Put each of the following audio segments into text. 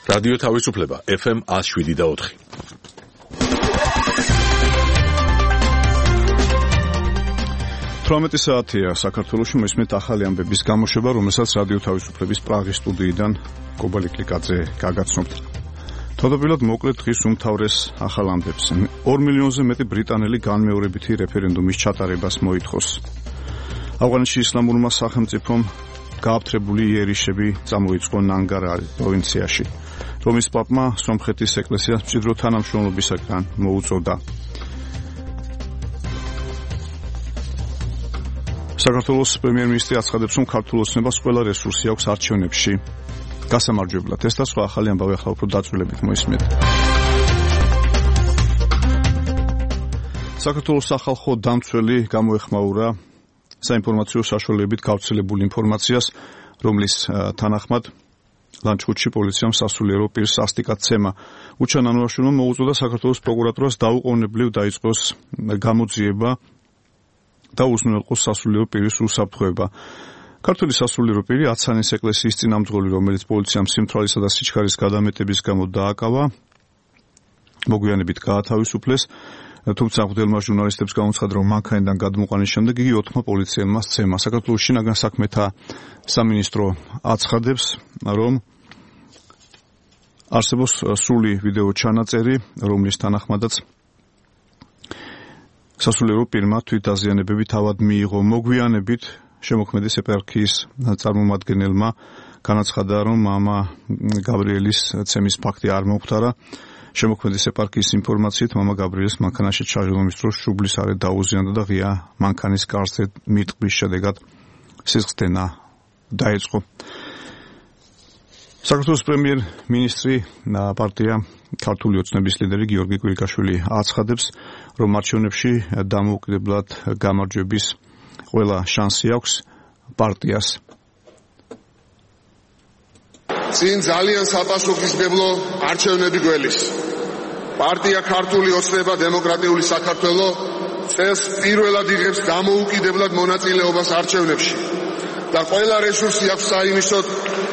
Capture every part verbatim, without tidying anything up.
რადიო თავისუფლება ეფ ემ one oh seven და four. თვრამეტი საათია საქართველოში მისმით ახალი ამბების გამოშვება, რომელსაც რადიო თავისუფლების პრაღის სტუდიიდან კობალი კლიკაძე გაგაცნობთ. თავდაპირველად მოკლედ დღის უმთავრეს ახალ ამბებს. ორ მილიონზე მეტი ბრიტანელი განმეორებითი რეფერენდუმის ჩატარებას მოითხოვს. ავღანეთში ისლამურმა სახელმწიფომ გააფთრებული იერიშები წამოიწყო ნანგარარის პროვინციაში. რომის პაპმა სომხეთის ეკლესიას მჭიდრო თანამშრომლობისაგან მოუწოდა. საქართველოს პრემიერ-მინისტრი აცხადებს, რომ ქართულ ოცნებას ყველა რესურსი აქვს არჩევნებში გასამარჯვებლად. ეს და სხვა ახალი ამბავი ახლა უფრო დაწვრილებით მოისმენთ. საქართველოს სახალხო დამცველი გამოეხმაურა საინფორმაციო საშუალებებით გავრცელებული ინფორმაციას, რომლის თანახმად ლანჩხუთში პოლიციამ სასულიერო პირს სასტიკად ცემა უჩანანოაშვილმა მოუწოდა საქართველოს პროკურატურას დაუყოვნებლივ დაიწყოს გამოძიება და უზრუნველყოს სასულიერო პირის უსაფრთხოება. ქართული სასულიერო პირი აცანის ეკლესიის წინამძღოლი, რომელიც პოლიციამ სიმთვრალისა და სიჩქარის გადამეტების გამო დააკავა, მოგვიანებით გაათავისუფლეს, თუმცა მღვდელმა ჟურნალისტებს გამოცხადა, რომ მანქანიდან გადმოყვანის შემდეგ იგი ოთხმა პოლიციელმა სცემა. საქართველოს შინაგან საქმეთა სამინისტრო აცხადებს, რომ არსებობს სრული ვიდეო ჩანაწერი, რომლის თანახმადაც სასულიერო პირმა თვითდაზიანებები თავად მიიღო. მოგვიანებით შემოქმედის ეპარქიის წარმომადგენელმა განაცხადა, რომ მამა გაბრიელის ცემის ფაქტი არ მოუხდარა. შემოქმედის ეპარქიის ინფორმაციით მამა გაბრიელს მანქანაში ჩაჟდომის დროს შუბლის არე დაუზიანდა და ღია მანქანის გარსზე მიტყვის შედეგად სისხლდენა დაიწყო. საქართველოს პრემიერ-მინისტრი პარტია ქართული ოცნების ლიდერი გიორგი კვირიკაშვილი აცხადებს, რომ არჩევნებში დამოუკიდებლად გამარჯვების ყველა შანსი აქვს პარტიას. წინ ძალიან საპასუხისმგებლო არჩევნები გველის. პარტია ქართული ოცნება დემოკრატიული საქართველო წელს პირველად იღებს დამოუკიდებლად მონაწილეობას არჩევნებში და ყველა რესურსი აქვს საიმისოდ,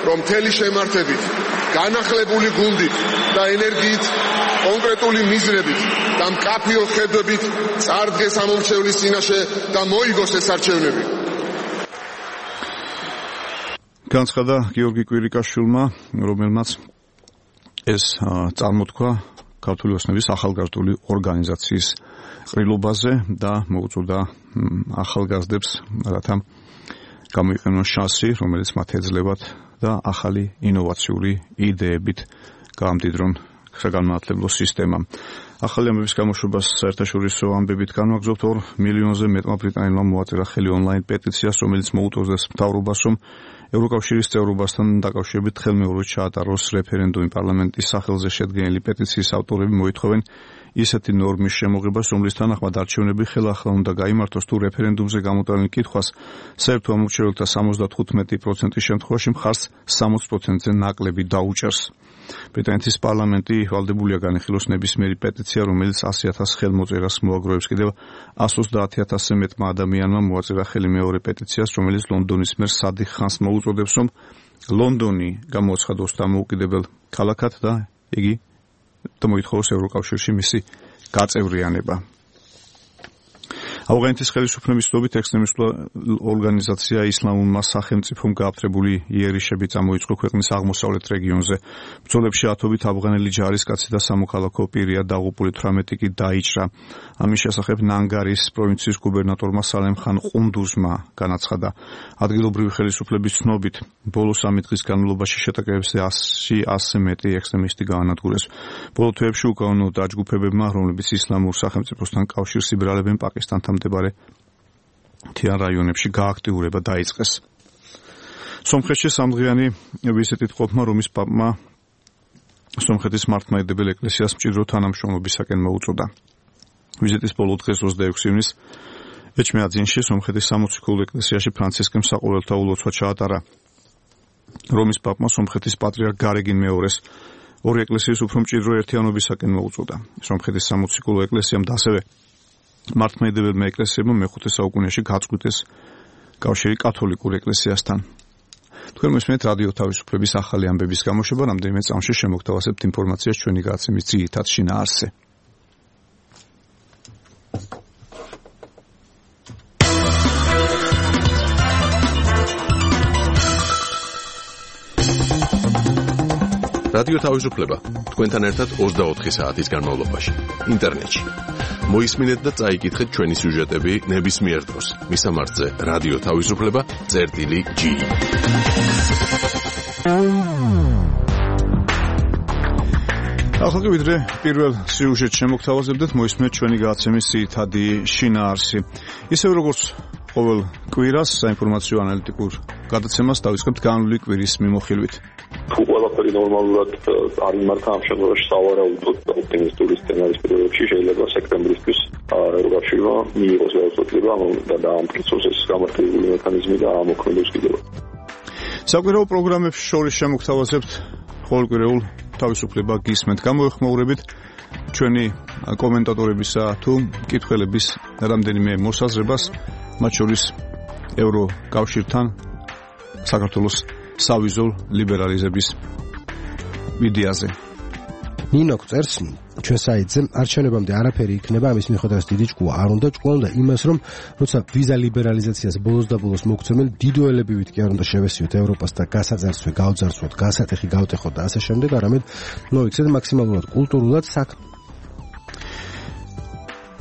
რომ მთელი შემართებით, განახლებული გუნდით და ენერგიით, კონკრეტული მიზნებით და მკაფიო ხედვებით წარდგეს ამომრჩევლის წინაშე და მოიგოს ეს არჩევნები. განცხადა გიორგი კვირიკაშვილმა, რომელმაც ეს წარმოთქვა ქართული ოცნების ახალგაზრდული ორგანიზაციის ყრილობაზე და მოუწოდა ახალგაზრდებს, რათა გამოიყენონ შანსი, რომელიც მათ ეძლებათ და ახალი ინოვაციური იდეებით გაამდიდრონ საგანმანათლებლო სისტემა. ახალი ამბების გამოშვებას საერთაშორისო ამბებით განვაგრძობთ. ორ მილიონზე მეტმა ბრიტანელმა მოაწერა ხელი ონლაინ პეტიციას, რომელიც მოუწოდებს მთავრობას, რომ ევროკავშირის წევრობასთან დაკავშირებით ხელმეორედ ჩაატაროს რეფერენდუმი. პარლამენტის სახელზე შედგენილი პეტიციის ავტორები მოითხოვენ ისეთი ნორმის შემოღებას, რომლის თანახმად არჩევნები ხელახლა უნდა გაიმართოს, თუ რეფერენდუმზე გამოტანილ კითხვას საერთო ამორჩეველთა ოცდათხუთმეტი პროცენტის შემთხვევაში მხარს სამოცი პროცენტზე ნაკლები დაუჭერს. ბრიტანეთის პარლამენტი ვალდებულია განიხილოს ნებისმიერი პეტიცია, რომელიც ასი ათას ხელმოწერას მოაგროვებს. კიდევ εκατს ოცდაათი ათასზე მეტმა ადამიანმა მოაწერა ხელი მეორე პეტიციას, რომელიც ლონდონის მერს სადიხ ხანს მოუწოდებს, რომ ლონდონი გამოაცხადოს დამოუკიდებელ ქალაქად და იგი და მოითხოვოს ევროკავშირში მისი გაწევრიანება. ავღანეთის ხელისუფლების ცნობით ექსტრემისტული ორგანიზაცია ისლამურმა სახელმწიფომ გააფთრებული იერიშები წამოიწყო ქვეყნის აღმოსავლეთ რეგიონზე. ბრძოლებში ათობით ავღანელი ჯარისკაცი და სამოქალაქო პირია დაღუპული, თვრამეტი კი დაიჭრა. ამის შესახებ ნანგარის პროვინციის გუბერნატორმა სალემ ხან ყუნდუზმა განაცხადა. ადგილობრივი ხელისუფლების ცნობით ბოლო სამი დღის განმავლობაში შეტაკებებზე ასზე მეტი ექსტრემისტი გაანადგურეს. ბოლო თვეებში უკანონო დაჯგუფებებმა, რომლებიც ისლამურ სახელმწიფოსთან კავშირს იბრძოლებენ პაკისტანთან მდებარე მთიან რაიონებში გააქტიურება დაიწყეს. სომხეთში სამდღიანი ვიზიტით ყოფმა რომის პაპმა სომხეთის მართლმადიდებელ ეკლესიას მჭიდრო თანამშრომლობისაკენ მოუწოდა. ვიზიტის ბოლო დღეს ოცდაექვსი ივნის ეჩმეაძინში სომხეთის სამოციქულო ეკლესიაში ფრანცისკემ საყოველთაო ლოცვა ჩაატარა. რომის პაპმა სომხეთის პატრიარქ გარეგინ მეორეს ორი ეკლესიის უფრო მჭიდრო ერთიანობისაკენ მოუწოდა. სომხეთის სამოციქულო ეკლესიამ და ასევე მართლმადიდებელმა ეკლესიებმა მეხუთე საუკუნეში გაწყვიტეს კავშირი კათოლიკურ ეკლესიასთან. თქვენ მოსმენთ რადიო თავისუფლების ახალი ამბების გამოშვება, რამდენიმე წამში შემოგთავაზებთ ინფორმაციას ჩვენი გადაცემის ძირითად შინაარსზე. რადიო თავისუფლება თქვენთან ერთად ოცდაოთხი საათის განმავლობაში ინტერნეტში. მოისმინეთ და წაიკითხეთ ჩვენი სიუჟეტები ნებისმიერ დროს. მისამართზე რადიო თავისუფლება წერტილი ჯი. ახლა ვიდრე პირველ სიუჟეტს შემოგთავაზებდეთ, მოისმინეთ ჩვენი გადაცემის ძირითადი შინაარსი. ისევ როგორც ყოველ კვირას საინფორმაციო ანალიტიკურ გადაცემას დავიწყებთ განვლილი კვირის მიმოხილვით. თუ ყველაფერი ნორმალურად არ იმართა ამ შემთხვევაში სავარაუდოდ ოპტიმისტური სცენარის პირობებში შეიძლება სექტემბრისთვის ევროკავშირმა მიიღოს გადაწყვეტილება და დაამტკიცოს ეს გამართლებული მექანიზმი და ამოქმედოს კიდევ. საკვირაო პროგრამებს შორის შემოგთავაზებთ ყოველკვირეულ თავისუფლება გისმენთ. გამოეხმაურებით ჩვენი კომენტატორებისა თუ მკითხველების რამდენიმე მოსაზრებას, მათ შორის ევროკავშირთან საქართველოს სავიზოლ ლიბერალიზების იდეაზე. ნინო წერს ჩვენ საიტზე არჩევნებამდე არაფერი იქნება, ამის მიხედვით დიდი ჭკუა არ უნდა. ჭკუა უნდა იმას, რომ როცა ვიზა ლიბერალიზაციას ბოლოს და ბოლოს მოგცემენ, დიდოელებივით კი არ უნდა შევესიოთ ევროპას და გასაძარცვე, გავძარცვოთ, გასატეხი გავტეხოთ და ასე შემდეგ, არამედ მოიქცეთ მაქსიმალურად კულტურულად საქ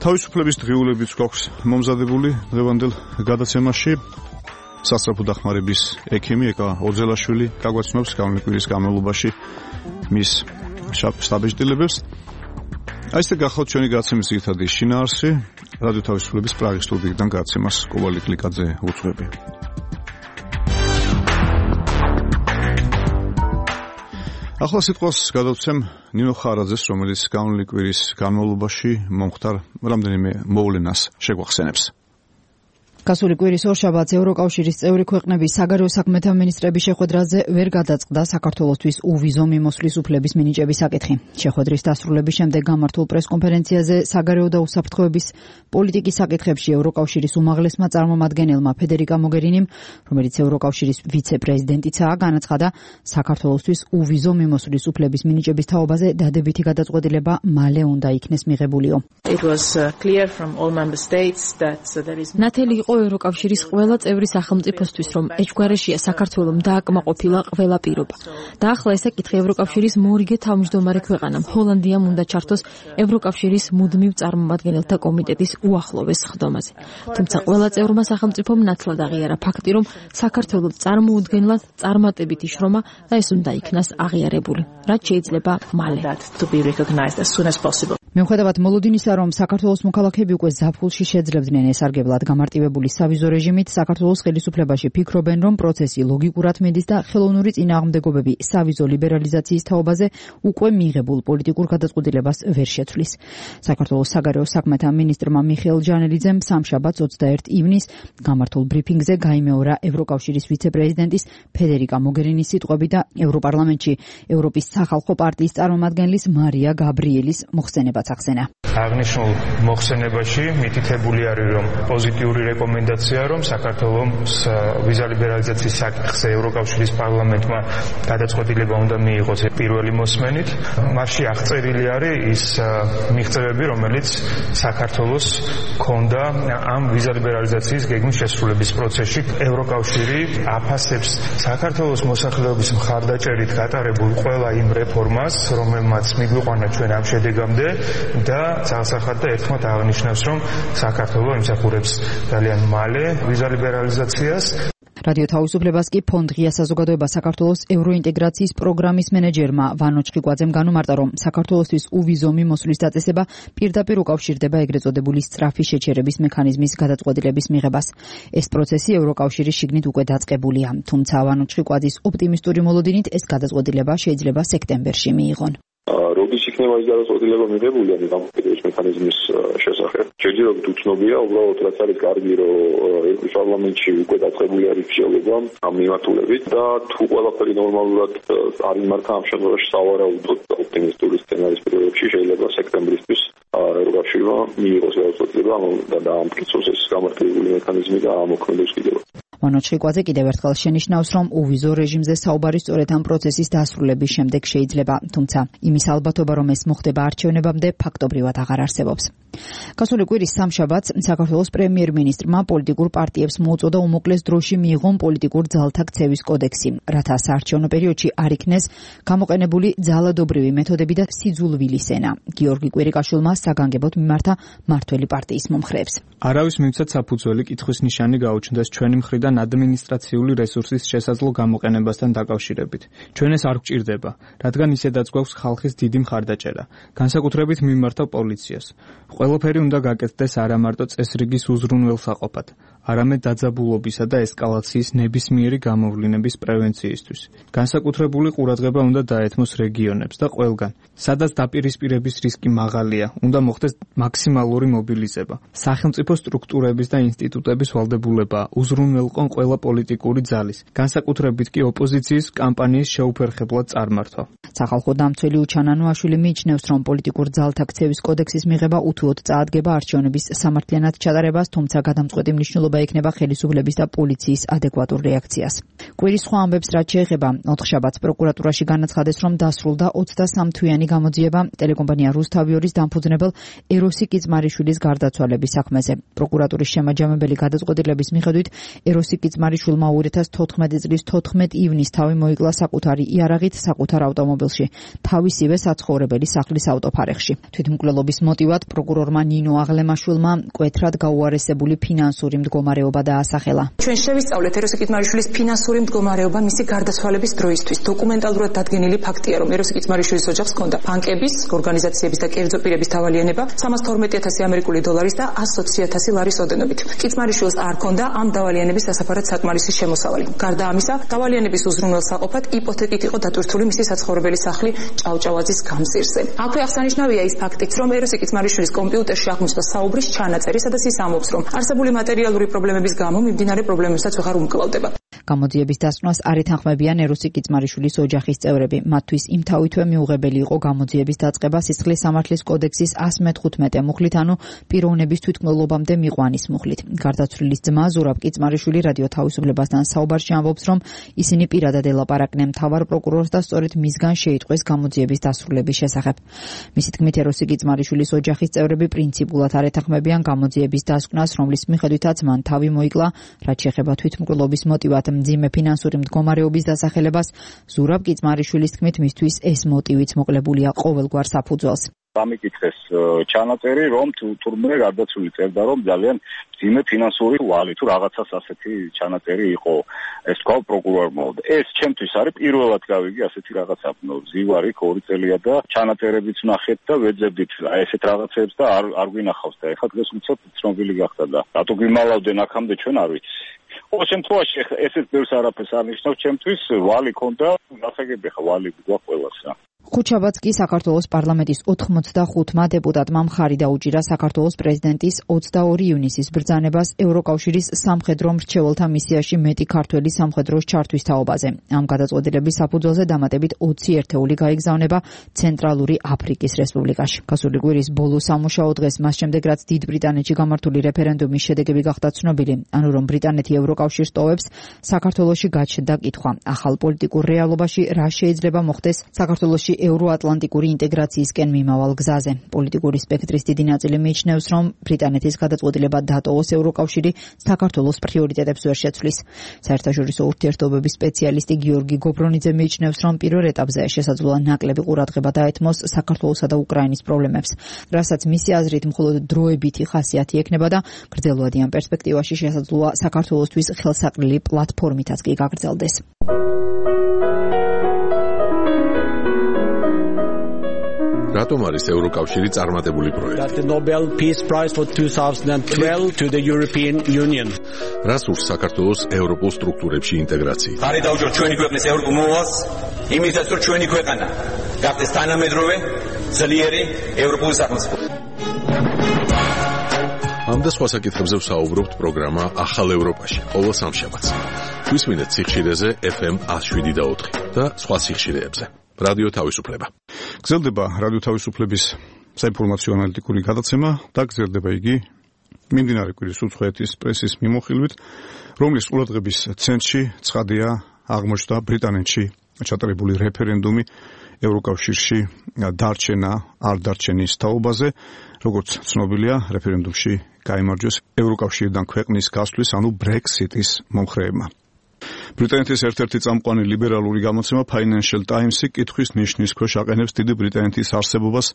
თავისუფლების დღიულებიც გვაქვს მომზადებული დღევანდელ გადაცემაში. სასწრაფო დახმარების ექიმი ეკა ოძელაშვილი გაგვაცნობს განვლილი კვირის განმავლობაში მის შტაბ-ჭდილებებს. აი ესე გახავთ ჩვენი გადაცემის ძირითადი შინაარსი. რადიო თავისუფლების პრაღის სტუდიიდან გადაცემას კოვალი კლიკაძე უძღვები. ახლა სიტყვას გადავცემ ნინო ხარაძეს, რომელიც განვლილი კვირის განმავლობაში მომხდარ რამდენიმე მოვლენას შეგვახსენებს. გასული კვირის ორშაბათს ევროკავშირის წევრი ქვეყნების საგარეო საქმეთა მინისტრების შეხვედრაზე ვერ გადაწყდა საქართველოსთვის უვიზო მიმოსვლის უფლების მინიჭების საკითხი. შეხვედრის დასრულების შემდეგ გამართულ პრესკონფერენციაზე საგარეო და უსაფრთხოების პოლიტიკის საკითხებში ევროკავშირის უმაღლესმა წარმომადგენელმა ფედერიკა მოგერინიმ, რომელიც ევროკავშირის ვიცე-პრეზიდენტიცაა, განაცხადა საქართველოსთვის უვიზო მიმოსვლის უფლების მინიჭების თაობაზე დადებითი გადაწყვეტილება მალე უნდა იქნეს მიღებულიო. ნათელი იყო ევროკავშირის ყველა წევრი სახელმწიფოსთვის, რომ ეჭვგარეშია საქართველომ დააკმაყოფილა ყველა პირობა. და ახლა ეს საკითხი ევროკავშირის მორიგე თავმჯდომარე ქვეყანამ ჰოლანდიამ უნდა ჩართოს ევროკავშირის მუდმივ წარმომადგენელთა კომიტეტის უახლოვეს სხდომაზე. თუმცა ყველა წევრმა სახელმწიფომ ნათლად აღიარა ფაქტი, რომ საქართველოს წარმოუდგენლად წარმატებითი შრომა და ეს უნდა იქნას აღიარებული, რაც შეიძლება მალე. მიუხედავად მოლოდინისა, რომ საქართველოს მოქალაქეები უკვე ზაფხულში შეძლებდნენ ესარგებლად გამარტივებული სავიზო რეჟიმით, საქართველოს ხელისუფლებაში ფიქრობენ, რომ პროცესი ლოგიკურად მიდის და ხელოვნური წინააღმდეგობები სავიზო ლიბერალიზაციის თაობაზე უკვე მიღებულ პოლიტიკურ გადაწყვეტილებას ვერ შეცვლის. საქართველოს საგარეო საქმეთა მინისტრმა მიხეილ ჯანელიძემ სამშაბათს ოცდაერთი ივნისს გამართულ ბრიფინგზე გაიმეორა ევროკავშირის ვიცე-პრეზიდენტის ფედერიკა მოგერინის სიტყვები და ევროპარლამენტში ევროპის სახალხო პარტიის წარმომადგენლის მარია გაბრიელის მოხსენებაც ახსენა. აღნიშნულ მოხსენებაში მითითებული არის, რომ პოზიტიური რეკომენდაცია, რომ საქართველოს ვიზა ლიბერალიზაციის საკითხზე ევროკავშირის პარლამენტმა გადაწყვეტილება უნდა მიიღოს პირველი მოსმენით. მასში აღწერილი არის ის მიღწევები, რომელიც საქართველოს ჰქონდა ამ ვიზა ლიბერალიზაციის გეგმის შესრულების პროცესში. ევროკავშირი აფასებს საქართველოს მოსახლეობის მხარდაჭერით გატარებულ ყველა იმ რეფორმას, რომელმაც მიგვიყვანა ჩვენ ამ შედეგამდე და ძალსახად და ერთხმად აღნიშნავს, რომ საქართველო იმსახურებს ძალიან მალე ვიზა ლიბერალიზაციას. რადიო თავისუფლებას კი ფონდ ღია საზოგადოება საქართველოს ევროინტეგრაციის პროგრამის მენეჯერმა ვანო ჩხიკვაძემ განუმარტა, რომ საქართველოსთვის უვიზო მიმოსვლის დაწესება პირდაპირ უკავშირდება ეგრეთ წოდებული სწრაფი შეჩერების მექანიზმის გადაწყვეტილების მიღებას. ეს პროცესი ევროკავშირის შიგნით უკვე დაწყებულია, თუმცა ვანო ჩხიკვაძის ოპტიმისტური მოლოდინით ეს გადაწყვეტილება შეიძლება სექტემბერში მიიღონ. როდის იქნება ის გადაწყვეტილება მიღებული ამ გამოკითხვის მექანიზმის შესახებ? შეჯერობით უცნობია, უბრალოდ რაც არის კარგი, რომ ევროპის პარლამენტში უკვე დაწყებული არის მსჯელობა ამ მიმართულებით და თუ ყველაფერი ნორმალურად არ იმართა ამ შემთხვევაში სავარაუდოდ ოპტიმისტური სცენარის პირობებში შეიძლება სექტემბრისთვის ევროკავშირმა მიიღოს გადაწყვეტილება და დაამტკიცოს ეს გამართლებული მექანიზმი და ამოქმედოს კიდევ. ვანო ჩხიკვაძე კიდევ ერთხელ შენიშნავს, რომ უვიზო რეჟიმზე საუბარი სწორედ ამ პროცესის დასრულების შემდეგ შეიძლება, თუმცა იმის ალბათობა, რომ ეს მოხდება არჩევნებამდე, ფაქტობრივად აღარ არსებობს. გასული კვირის სამშაბათს საქართველოს პრემიერ-მინისტრმა პოლიტიკურ პარტიებს მოუწოდა უმოკლეს დროში მიიღონ პოლიტიკურ ძალთა ქცევის კოდექსი, რათა საარჩევნო პერიოდში არ იქნეს გამოყენებული ძალადობრივი მეთოდები და სიძულვილის ენა. გიორგი კვირიკაშვილმა საგანგებოდ მიმართა მართველი პარტიის მომხრეებს. არავის მივცათ საფუძველი კითხვის ნიშანი გაუჩნდეს ჩვენი მხრიდან ადმინისტრაციული რესურსის შესაძლო გამოყენებასთან დაკავშირებით. ჩვენ ეს არ გვჭირდება, რადგან ისედაც გვაქვს ხალხის დიდი მხარდაჭერა, განსაკუთრებით მიმართა პოლიციას. ყველაფერი უნდა გაკეთდეს არა მარტო წესრიგის უზრუნველსაყოფად, არამედ დაძაბულობისა და ესკალაციის ნებისმიერი გამოვლინების პრევენციისთვის. განსაკუთრებული ყურადღება უნდა დაეთმოს რეგიონებს და ყველგან, სადაც დაპირისპირების რისკი მაღალია, უნდა მოხდეს მაქსიმალური მობილიზება. სახელმწიფო სტრუქტურების და ინსტიტუტების ვალდებულება უზრუნველყონ ყველა პოლიტიკური ძალის, განსაკუთრებით კი ოპოზიციის კამპანიის შეუფერხებლად წარმართვა. სახალხო დამცველი უჩანანოაშვილი მიიჩნევს, რომ პოლიტიკურ ძალთა ქცევის კოდექსის მიღება უთუოდ წაადგება არჩევნების სამართლიანად ჩატარებას, თუმცა გადამწყვეტი მნიშვნელობა ექნება ხელისუფლების და პოლიციის ადეკვატურ რეაქციას. კვირის სხვა ამბებს რაც შეეხება, ოთხშაბათს პროკურატურაში განაცხადეს, რომ დასრულდა ოცდასამ თვიანი გამოძიება ტელეკომპანია რუსთავიორის დამფუძნებელ ეროსი კიცმარიშვილის გარდაცვალების საქმეზე. პროკურატურის შემაჯამებელი გადაწყვეტილების მიხედვით ეროსი კიცმარიშვილმა ორი ათას თოთხმეტი წლის თოთხმეტი ივნის თავი მოიკლა საკუთარი იარაღით საკუთარ ავტომობილში, თავისივე საცხოვრებელი სახლის ავტოფარეხში. თვითმკვლელობის მოტივად პროკურორმა ნინო აღლემაშვილმა მკვეთრად გაუარესებული ფინანსური მდგომარეობა დაასახელა. ჩვენ შევისწავლეთ ეროსი კიცმარიშვილის ფინანსური მდგომარეობა მისი გარდაცვალების დროისთვის. დოკუმენტალურად დადგენილი ფაქტია, რომ ეროსი კიცმარიშვილის ოჯახს ჰქონდა ბანკების, ორგანიზაციების და კერძო პირების დავალიანება სამას თორმეტი ათასი ამერიკული დოლარის და ასს ოცი ათასი ლარის ოდენობით. კიცმარიშვილს არ ჰქონდა ამ დავალიანების სასაფარად საკმარისი შემოსავალი. გარდა ამისა, დავალიანების უზრუნველსაყოფად იპოთეკით იყო დატვირთული მისი საცხოვრებელი სახლი ჭავჭავაძის გამზირზე. აქვე აღსანიშნავია ის ფაქტიც, რომ ეროსი კიცმარიშვილის კომპიუტერში აღმოჩნდა საუბრის ჩანაწერი, სადაც ის ამბობს, რომ არსებული მატერიალური პრობლემების გამო მიმდინარე პრობლემებსაც ვეღარ უმკლავდება. გამოძიების დასკვნას არ ეთანხმებიან ეროსი კიცმარიშვილის ოჯახის წევრები. მათთვის იმთავითვე მიუღებელი იყო გამოძიების დაწყება სისხლის სამართლის კოდექსის ასი მეთხუთმეტე მუხლით, ანუ პიროვნების თვითმკვლელობამდე მიყვანის მუხლით. გარდაცვლილის ძმა ზურაბ კიცმარიშვილი რადიო თავისუფლებასთან საუბარში ამბობს, რომ ისინი პირადად ელაპარაკნენ მთავარ პროკურორს და სწორედ მისგან შეიტყვეს გამოძიების დასრულების შესახებ. მისი თქმით, ეროსი კიცმარიშვილის ოჯახის წევრები პრინციპულად არ ეთანხმებიან გამოძიების დასკვნას, რომლის მიხედვითაც მან თავი მოიკლა, რაც შეეხება თვითმკვლელობის მოტივად მძიმე ფინანსური მდგომარეობის დასახელებას. ზურაბ კიცმარიშვილის თქმით, მისთვის ეს მოტივიც მოკლებულია ყოველგვარ საფუძველს. დამიკითხეს ჩანაწერი, რომ თურმე გარდაცვლილი წერდა, რომ ძალიან მძიმე ფინანსური ვალი თუ რაღაცას ასეთი ჩანაწერი იყო. ეს თქვა პროკურორმა. ეს ჩემთვის არის პირველად გავიგე ასეთი რაღაცა. ზივარი ორი წელია და ჩანაწერებიც ნახეთ და ვეძებდით აი ესეთ რაღაცებს და არ არ გვინახავს და ეხლა დღეს უცებ ცნობილი გახდა და რატო გვიმალავდნენ აქამდე ჩვენ არ ვიცი. ყოველ შემთხვევაში ესეც ბევრს არაფერს არ ნიშნავს ჩემთვის, ვალი ქონდა, გასაგები ხა ვალი გვაქვს ყველასა. ხუთშაბათს კი საქართველოს პარლამენტის ოთხმოცდახუთმა დეპუტატმა მხარი დაუჭირა საქართველოს პრეზიდენტის ოცდაორი ივნისის ბრძანებას ევროკავშირის სამხედრო მრჩეველთა მისიაში მეტი ქართველი სამხედროს ჩართვის თაობაზე. ამ გადაწყვეტილების საფუძველზე დამატებით ოცი ერთეული გაიგზავნება ცენტრალური აფრიკის რესპუბლიკაში. გასული კვირის ბოლო სამუშაო დღეს, მას შემდეგ რაც დიდ ბრიტანეთში გამართული რეფერენდუმის შედეგები გახდა ცნობილი, ანუ რომ ბრიტანეთი ევროკავშირს ტოვებს, საქართველოში გაჩნდა კითხვა: ახალ პოლიტიკურ რეალობაში რა შეიძლება მოხდეს საქართველოში ევროატლანტიკური ინტეგრაციისკენ მიმავალ გზაზე. პოლიტიკური სპექტრის დიდი ნაწილი მიიჩნევს, რომ ბრიტანეთის გადაწყვეტილება დატოვოს ევროკავშირი საქართველოს პრიორიტეტებს ვერ შეცვლის. საერთაშორისო ურთიერთობების სპეციალისტი გიორგი გობრონიძე მიიჩნევს, რომ პირველ ეტაპზე შესაძლოა ნაკლები ყურადღება დაეთმოს საქართველოსა და უკრაინის პრობლემებს, რასაც მისი აზრით მხოლოდ დროებითი ხასიათი ექნება და გრძელვადიან პერსპექტივაში შესაძლოა საქართველოსთვის ხელსაყრელი პლატფორმითაც კი გაგრძელდეს. რატომ არის ევროკავშირი წარმატებული პროექტი? The Nobel Peace Prize for twenty twelve to the European Union. რას ურს საქართველოს ევროპულ სტრუქტურებში ინტეგრაცია? ხარი დაუჭირ ჩვენი ქვეყნის ევროპულ მოვალს, იმისათვის რომ ჩვენი ქვეყანა გახდეს თანამედროვე, ძლიერი ევროპული სახელმწიფო. ამ და სხვა საკითხებზე ვსაუბრობთ პროგრამა ახალ ევროპაში, ყოველ სამშაბათს. გვისმინეთ სიხშირეზე ეფ ემ ათი შვიდი და ოთხი და სხვა სიხშირეებზე. რადიო თავისუფლება. გრძელდება რადიო თავისუფლების საინფორმაციო ანალიტიკური გადაცემა და გრძელდება იგი მიმდინარე კვირის უცხოეთის პრესის მიმოხილვით. რომლის ყურადღების ცენტრში ცხადია აღმოჩნდა ბრიტანეთში ჩატარებული რეფერენდუმი ევროკავშირში დარჩენა არ დარჩენის თაობაზე, როგორც ცნობილია, რეფერენდუმში გაიმარჯვეს ევროკავშირიდან ქვეყნის გასვლის, ანუ ბრექსიტის მომხრეებმა. ბრიტანეთის ერთ-ერთი წამყვანი ლიბერალური გამოცემა Financial Times-ი კითხვის ნიშნის ქვეშ აყენებს დიდი ბრიტანეთის არსებობას,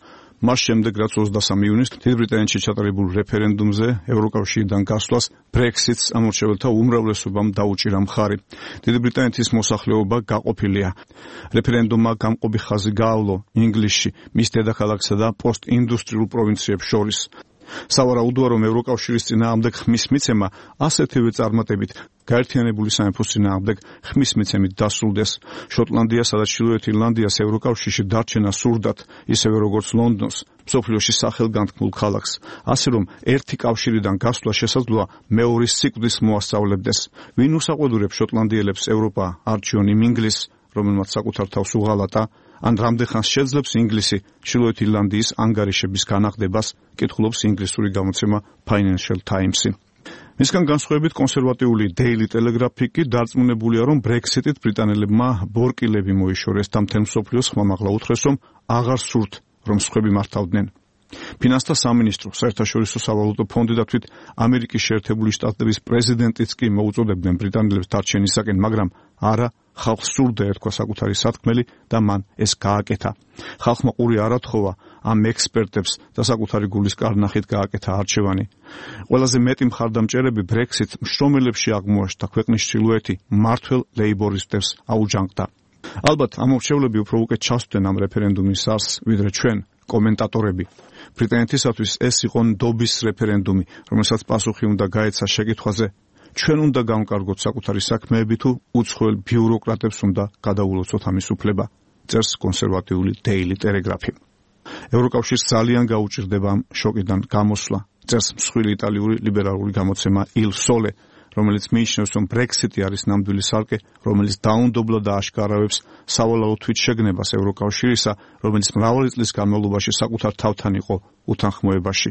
მას შემდეგ რაც ოცდასამი ივნისს დიდი ბრიტანეთში ჩატარებულ რეფერენდუმზე ევროკავშირიდან გასვლას ბრექსიტს ამორჩეველთა უმრავლესობამ დაუჭირა მხარი. დიდი ბრიტანეთის მოსახლეობა გაყოფილია. რეფერენდუმმა გამყოფი ხაზი გაავლო ინგლისში, მის დედაქალაქსა და პოსტინდუსტრიულ პროვინციებს შორის. სავარაუდოა, რომ ევროკავშირის წინააღმდეგ ხმის მიცემა ასეთივე წარმატებით გაერთიანებული სამეფოს წინააღმდეგ ხმის მიცემით დასრულდეს. შოტლანდიას და ჩრდილოეთ ირლანდიას ევროკავშირში დარჩენა სურდათ, ისევე როგორც ლონდონს, მსოფლიოში სახელგანთქმულ ქალაქს, ასე რომ ერთი კავშირიდან გასვლა შესაძლოა მეორის სიკვდილს მოასწავლებდეს. ვინ უსაყვედურებს შოტლანდიელებს ევროპა არჩიონ იმ ინგლისს, რომელმაც საკუთარ თავს უღალატა, ან რამდენხანს შეძლებს ინგლისი ჩრდილოეთ ირლანდიის ანგარიშების განახდებას, კითხულობს ინგლისური გამოცემა Financial Times-ი. მისგან განსხვავებით კონსერვატიული Daily Telegraph-ი კი დარწმუნებულია, რომ ბრექსიტით ბრიტანელებმა ბორკილები მოიშორეს და მთელ მსოფლიოს ხმამაღლა უთხრეს, რომ აღარ სურთ, რომ სხვები მართავდნენ. ფინანსთა სამინისტრო, საერთაშორისო სავალუტო ფონდი და თვით ამერიკის შეერთებული შტატების პრეზიდენტიც კი მოუწოდებდნენ ბრიტანელებს დარჩენისაკენ, მაგრამ არა, ხალხს სურდა ერქვა საკუთარი სათქმელი და მან ეს გააკეთა. ხალხმა ყური არ ათხოვა ამ ექსპერტებს და საკუთარი გულის კარნახით გააკეთა არჩევანი. ყველაზე მეტი მხარდამჭერები ბრექსიტ მშრომელებში აღმოაჩნდა, ქვეყნის ჩრდილოეთი მმართველ ლეიბორისტებს აუჯანყდა. ალბათ ამ მრჩევლები უფრო უკეთ ჩასვდნენ ამ რეფერენდუმის არსს, ვიდრე ჩვენ, კომენტატორები. ბრიტანეთისათვის ეს იყო ნდობის რეფერენდუმი, რომელსაც პასუხი უნდა გაეცა შეკითხვაზე, ჩვენ უნდა გამკარგოთ საკუთარი საქმეები თუ უცხოელ ბიუროკრატებს უნდა გადაულოცოთ ამის უფლება, წერს კონსერვატიული Daily Telegraph-ი. ევროკავშირს ძალიან გაუჭირდება ამ შოკიდან გამოსვლა, წერს მსხვილი იტალიური ლიბერალური გამოცემა Il Sole, რომელიც მიიჩნევს, რომ ბრექსიტი არის ნამდვილი სარკე, რომელიც დაუნდობლად ააშკარავებს სავალალო თვითშეგნებას ევროკავშირისა, რომელიც მრავალი წლის განმავლობაში საკუთარ თავთან იყო უთანხმოებაში.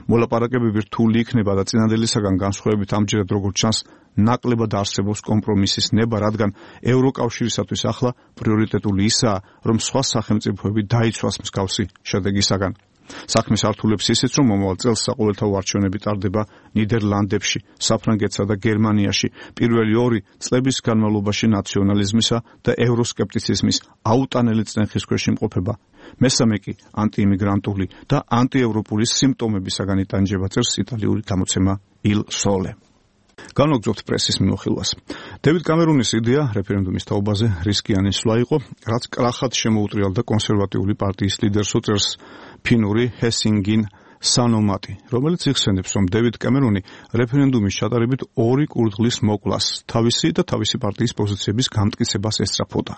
მოლაპარაკებები რთული იქნება და წინადელისაგან განსხვავებით ამჯერად როგორც ჩანს, ნაკლებად არსებობს კომპრომისის ნება, რადგან ევროკავშირისათვის ახლა პრიორიტეტული ისაა, რომ სხვა სახელმწიფოები დაიცვას მსგავსი შედეგისაგან. საქმის ართულებს ისიც, რომ მომავალ წელს საყოველთაო არჩევნები ტარდება ნიდერლანდებში, საფრანგეთსა და გერმანიაში, პირველი ორი წლების განმავლობაში ნაციონალიზმისა და ევროსკეპტიციზმის აუტანელი წნეხის ქვეშ იმყოფება. მესამე კი ანტიიმიგრანტული და ანტიევროპული სიმპტომებისაგან იტანჯება, წერს იტალიური გამოცემა Il Sole. განვაგრძობთ პრესის მიმოხილვას. დევიდ კამერუნის იდეა რეფერენდუმის თაობაზე რისკიანი სვლა იყო, რაც კრახად შემოუტრიალდა კონსერვატიული პარტიის ლიდერს, წერს ფინური ჰესინგინ სანომატი, რომელიც იხსენებს, რომ დევიდ კამერუნი რეფერენდუმის ჩატარებით ორი კურდღლის მოკლას, თავისი და თავისი პარტიის პოზიციების გამტკიცებას ესწრაფოდა.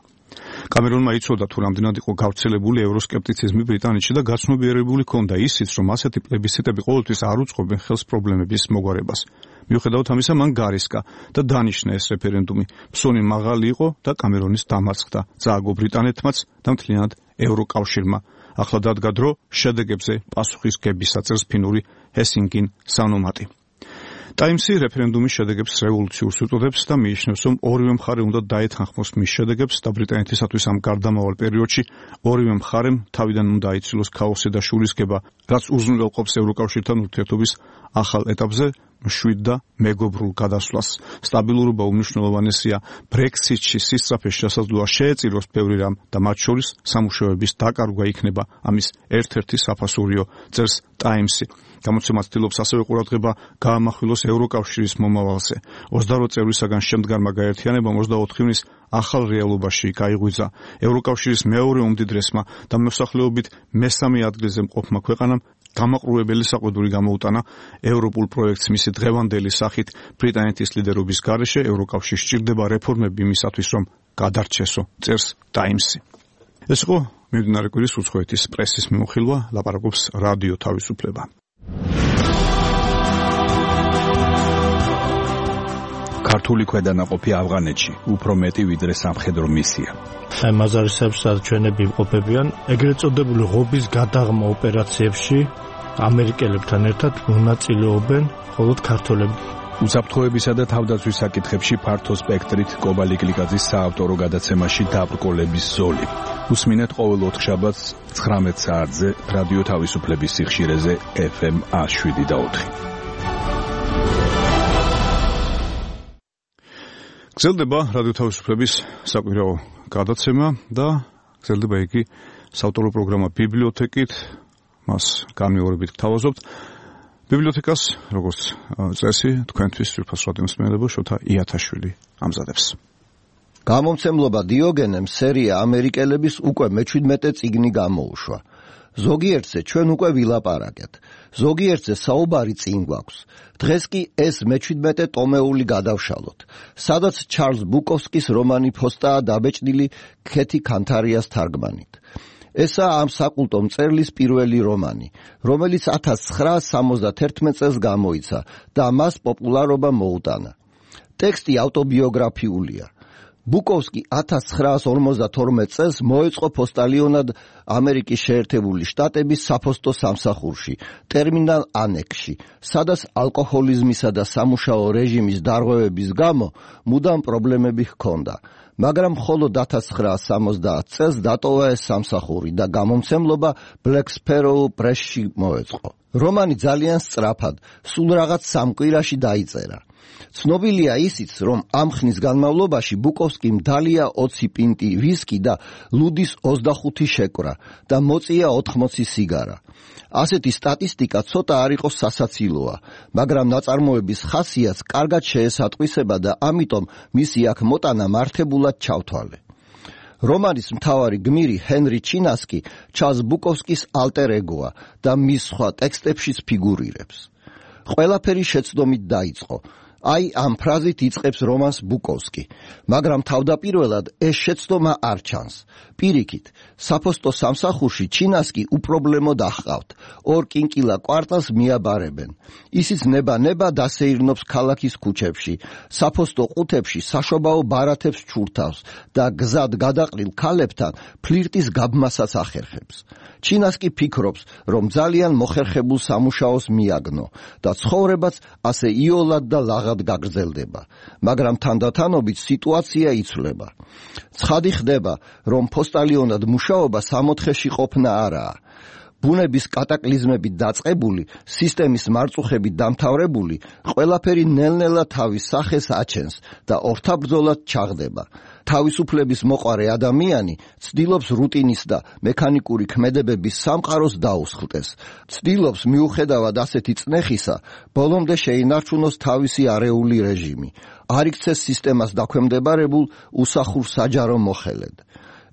კამერუნმა იცოდა, თუ რამდენად იყო გავრცელებული ევროსკეპტიციზმი ბრიტანეთში და გაცნობიერებული ჰქონდა ისიც, რომ ასეთი პლებისციტები ყოველთვის არ უწყობენ ხელს პრობლემების მოგვარებას. მიუხედავად ამისა, მან გარისკა და დანიშნა ეს რეფერენდუმი. ფსონი მაღალი იყო და კამერონის დამარცხდა. წააგო ბრიტანეთმაც და მთლიანად ევროკავშირმა. ახლა დადგა დრო შედეგებზე პასუხის გებისა, წერს ფინური ჰესინგინ სანომატი. Times-ი რეფერენდუმის შედეგებს რევოლუციურს უწოდებს და მიიჩნევს, რომ ორივე მხარე უნდა დაეთანხმოს მის შედეგებს და ბრიტანეთისათვის ამ გარდამავალ პერიოდში ორივე მხარემ თავიდან უნდა აიცილოს ქაოსი და შურისკება, რაც უზრუნველყოფს ევროკავშირთან ურთიერთობის ახალ ეტაპზე მშვიდ და მეგობრულ გადასვლას. სტაბილურობა უმნიშვნელოვანესია. ბრექსიტში სისწრაფეს შესაძლოა შეეწიროს ბევრი რამ და მათ შორის სამუშაოების დაკარგვა იქნება ამის ერთ-ერთი საფასურიო, წერს Times-ი. გამოცემა ცდილობს ასევე ყურადღება გაამახვილოს ევროკავშირის მომავალზე. ოცდაოთხ წევრისაგან შემდგარმა გაერთიანებამ ოცდაოთხ ივნის ახალ რეალობაში გაიღვიძა. ევროკავშირის მეორე უმდიდრესმა და მოსახლეობით მესამე ადგილზე მყოფმა ქვეყანამ გამაყრუებელი საყვედური გამოუტანა ევროპულ პროექტს მისი დღევანდელი სახით. ბრიტანეთის ლიდერობის გარეშე ევროკავშირს სჭირდება რეფორმები იმისათვის, რომ გადარჩესო, წერს Times-ი. ეს იყო მიმდინარე კვირის უცხოეთის პრესის მიმოხილვა, ლაპარაკობს რადიო თავისუფლება. ქართული ქვედანაყოფი ავღანეთში უფრო მეტი ვიდრე სამხედრო მისია. აი მაზარისებს ჩვენები იმყოფებიან ეგრეთ წოდებული ღობის გადაღმა ოპერაციებში ამერიკელებთან ერთად მონაწილეობენ მხოლოდ ქართველები. უსაფრთხოებისა და თავდაცვის საკითხებში ფართო სპექტრით კობალი გლიკაძის საავტორო გადაცემაში დაბრკოლების ზოლი. უსმინეთ ყოველ ოთხშაბათს ცხრამეტ საათზე რადიო თავისუფლების სიხშირეზე ეფ ემ შვიდ და ოთხი. გრძელდება რადიო თავისუფლების საკვირაო გადაცემა და გრძელდება იგი საავტორო პროგრამა ბიბლიოთეკით. მას განმეორებით გთავაზობთ. ბიბლიოთეკას, როგორც წესი, თქვენთვის სრულფას რადიომსმენელებო შოთა იათაშვილი ამზადებს. გამომცემლობა დიოგენემ სერია ამერიკელების უკვე მეჩვიდმეტე წიგნი გამოუშვა. ზოგიერთზე ჩვენ უკვე ვილაპარაკეთ. ზოგიერთზე საუბარი წინ გვაქვს. დღეს კი ეს მეჩვიდმეტე ტომეული გადავშალოთ, სადაც ჩარლზ ბუკოვსკის რომანი ფოსტაა დაბეჭდილი ქეთი ქანთარიას თარგმანით. ესაა ამ საკულტო მწერლის პირველი რომანი, რომელიც ათას ცხრაასი სამოცდათერთმეტ წელს გამოიცა და მას პოპულარობა მოუტანა. ტექსტი ავტობიოგრაფიულია. ბუკოვსკი ათას ცხრაასი ორმოცდათორმეტ წელს მოეწყო პოსტალიონად ამერიკის შეერთებული შტატების საფოსტო სამსახურში, ტერმინალ ანექსში, სადაც ალკოჰოლიზმისა და სამუშაო რეჟიმის დარღვევების გამო მუდამ პრობლემები ჰქონდა. მაგრამ მხოლოდ ათას ცხრაასი სამოცდაათი წელს დატოვა ეს სამსახური და გამომცემლობა Black Sparrow Press-ში მოეწყო. რომანი ძალიან სწრაფად, სულ რაღაც სამ კვირაში დაიწერა. ცნობილია ისიც, რომ ამ ხნის განმავლობაში ბუკოვსკიმ დალია ოცი პინტი ვისკი და ლუდის ოცდახუთი შეკვრა და მოწია ოთხმოცი სიგარა. ასეთი სტატისტიკა ცოტა არ იყოს სასაცილოა, მაგრამ ნაწარმოების ხასიათს კარგად შეესატყვისება და ამიტომ მისი აქ მოტანა მართებულად ჩავთვალე. რომანის მთავარი გმირი ჰენრი ჩინასკი ჩარლზ ბუკოვსკის ალტერ ეგოა და მის სხვა ტექსტებშიც ფიგურირებს. ყველაფერი შეცდომით დაიწყო. აი ამ ფრაზით იწყებს რომანს ბუკოვსკი, მაგრამ თავდაპირველად ეს შეცდომა არ ჩანს. პირიქით, საფოსტო სამსახურში ჩინასკი უპრობლემოდ აჰყავთ. ორ კინკილა კვარტალს მიაბარებენ. ისიც ნება-ნება დასეირნობს ქალაქის ქუჩებში, საფოსტო ყუთებში საშობაო ბარათებს ჩურთავს და გზად გადაყრილ ქალებთან ფლირტის გაბმასაც ახერხებს. ჩინასკი ფიქრობს, რომ ძალიან მოხერხებულ სამუშაოს მიაგნო და ცხოვრებაც ასე იოლად და ლაღად გაგრძელდება, მაგრამ თანდათანობით სიტუაცია იცვლება. ცხადი ხდება, რომ პოსტალიონად მუშაობა სამოთხეში ყოფნა არაა. ბუნების კატაკლიზმებით დაწყებული, სისტემის მარწუხებით დამთავრებული, ყველაფერი ნელ-ნელა თავის სახეს აჩენს და ორთაბრძოლად ჩაღდება. თავისუფლების მოყარე ადამიანი ცდილობს რუტინის და მექანიკური ქმედებების სამყაროს დაუსხლტეს. ცდილობს მიუხედავად ასეთი წნეხისა, ბოლომდე შეინარჩუნოს თავისი არეული რეჟიმი. არ იქცეს სისტემას დაქვემდებარებულ უსახურ საჯარო მოხელედ.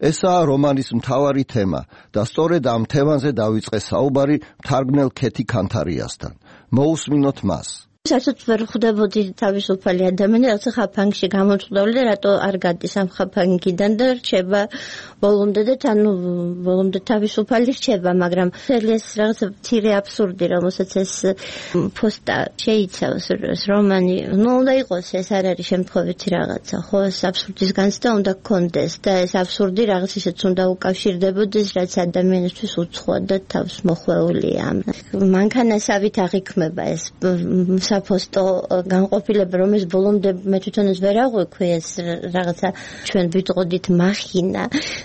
ესაა რომანის მთავარი თემა და სწორედ ამ თემაზე დავიწყე საუბარი მთარგმნელ ქეთი ქანთარიასთან. მოусმინოთ მას. საერთოდ ვერ ხვდებოდი თავისუფალი ადამიანი, რაც ხაფანგში გამომწვდოვლი და რატო არ გადის ამ ხაფანგიდან და რჩება ბოლომდე და ანუ ბოლომდე თავისუფალი რჩება, მაგრამ ეს რაღაცა მცირე აბსურდი, რომელსაც ეს პოსტა შეიცავს ეს რომანი, ნუ უნდა იყოს, ეს არ არის შემთხვევითი რაღაცა, ხო, ეს აბსურდის განცდა უნდა გქონდეს და ეს აბსურდი რაღაც ისეც უნდა უკავშირდებოდეს, რაც ადამიანისთვის უცხოა და თავს მოხვეულია. მანქანასავით აღიქმება ეს საფოსტო განყოფილება, რომელიც ბოლომდე მე თვითონ ეს ვერ აღვიქვი, ეს რაღაცა ჩვენ ვიტყოდით მახინა,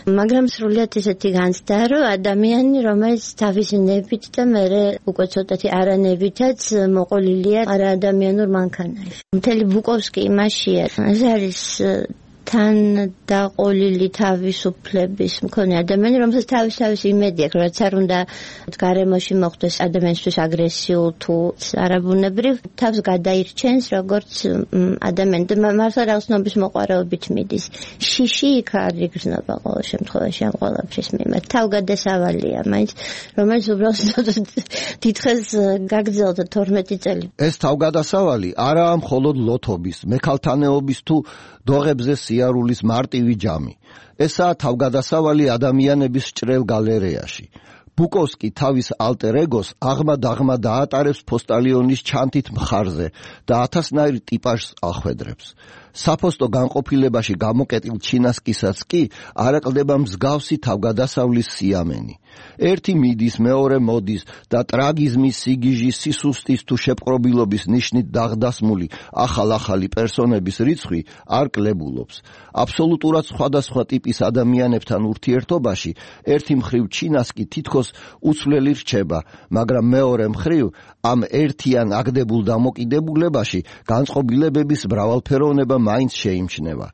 მაგრამ სრულიად ისეთი განცდა, რომ ადამიანი, რომელიც თავისი ნებით და მერე უკვე ცოტათი არანებითაც მოყოლილია არაადამიანურ მანქანაში. მთელი ბუკოვსკი იმაშია, ეს არის თან დაყოლილი თავისუფლების მქონე ადამიანი, რომელსაც თავის თავის იმედი აქვს, რაც არ უნდა გარემოში მოხდეს ადამიანისთვის აგრესიულ თუ არაბუნებრივ, თავს გადაირჩენს როგორც ადამიანი და მართლა რაღაცნაობის მოყვარეობით მიდის. შიში იქ არ იგრძნობა ყოველ შემთხვევაში ამ ყველაფრის მიმართ. თავგადასავალია, მაინც რომელიც უბრალოდ დიდხეს გაგრძელდა თორმეტი წელი. ეს თავგადასავალი არაა მხოლოდ ლოთობის, მექალთანეობის თუ დოღებზე სიარულის მარტივი ჯამი. ესაა თავგადასავალი ადამიანების ჭრელ გალერეაში. ბუკოვსკი თავის ალტერ ეგოს აღმა-დაღმა დაატარებს პოსტალიონის ჩანთით მხარზე და ათასნაირ ტიპაჟს ახვედრებს. საფოსტო განყოფილებაში გამოკეტილ ჩინასკისაც კი არ აკლდება მსგავსი თავგადასავლის სიამენი. ერთი მიდის, მეორე მოდის და ტრაგიზმის, სიგიჟის, სისუსტის თუ შეპყრობილობის ნიშნით დაღდასმული ახალ-ახალი პერსონების რიცხვი არ კლებულობს. აბსოლუტურად სხვადასხვა ტიპის ადამიანებთან ურთიერთობაში ერთი მხრივ ჩინას კი თითქოს უცვლელი რჩება, მაგრამ მეორე მხრივ ამ ერთიან აგდებულ დამოკიდებულებაში განწყობილებების მრავალფეროვნება მაინც შეიმჩნევა.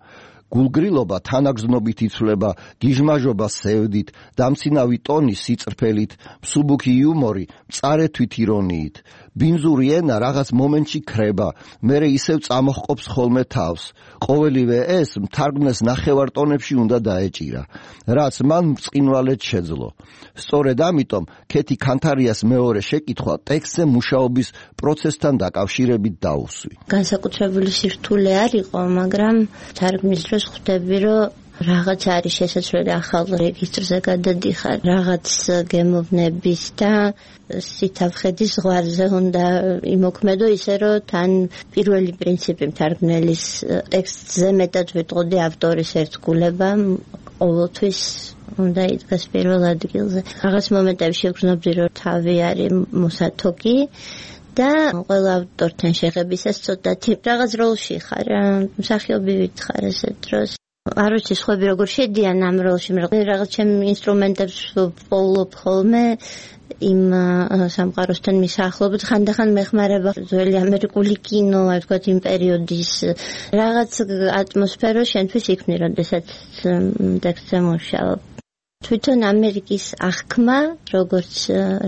გულგრილობა თანაგზნობით იცვლება, გიჟმაჟობა სევდით, დამცინავი ტონი სიწრფელით, მსუბუქი იუმორი მწარეთვით ირონიით. ბინძური ენა რაღაც მომენტში ქრება, მერე ისევ წამოჰყოფს ხოლმე თავს. ყოველივე ეს მთარგმნელს ნახევარ ტონებში უნდა დაეჭირა, რაც მან ბრწყინვალედ შეძლო. სწორედ ამიტომ ქეთი ქანთარიას მეორე შეკითხვა ტექსტზე მუშაობის პროცესთან დაკავშირებით დაუსვი. განსაკუთრებული სირთულე არ იყო, მაგრამ თარგმნის დროს ხვდები, რომ რაღაც არის შესაძლებელი ახალ რეგისტრზე გადადიხარ, რაღაც გემოვნების და სითაფხედის ზღვარზე უნდა იმოქმედო ისე, რომ თან პირველი პრინციპი მთარგმნელის ტექსტზე მეტად ვიტყოდი ავტორის ერთგულება ყოველთვის უნდა იდგას პირველ ადგილზე. რაღაც მომენტებში ვგრძნობდი, რომ თავი არის მოსათოკი და ყველა ავტორთან შეღებისას ცოტათი რაღაც როლში ხარ, მსახიობივით ხარ ესე დროს. არ ვიცი სხვები როგორ შედიან ამ როლში, რაღაც ჩემ ინსტრუმენტებს პოულობ ხოლმე იმ სამყაროსთან მისახლობთ, ხანდახან მეხმარება ძველი ამერიკული კინო, აი ვთქვათ იმ პერიოდის რაღაც ატმოსფერო შენთვის იქმნი, როდესაც ტექსტზე მუშაობ. თვითონ ამერიკის აღქმა, როგორც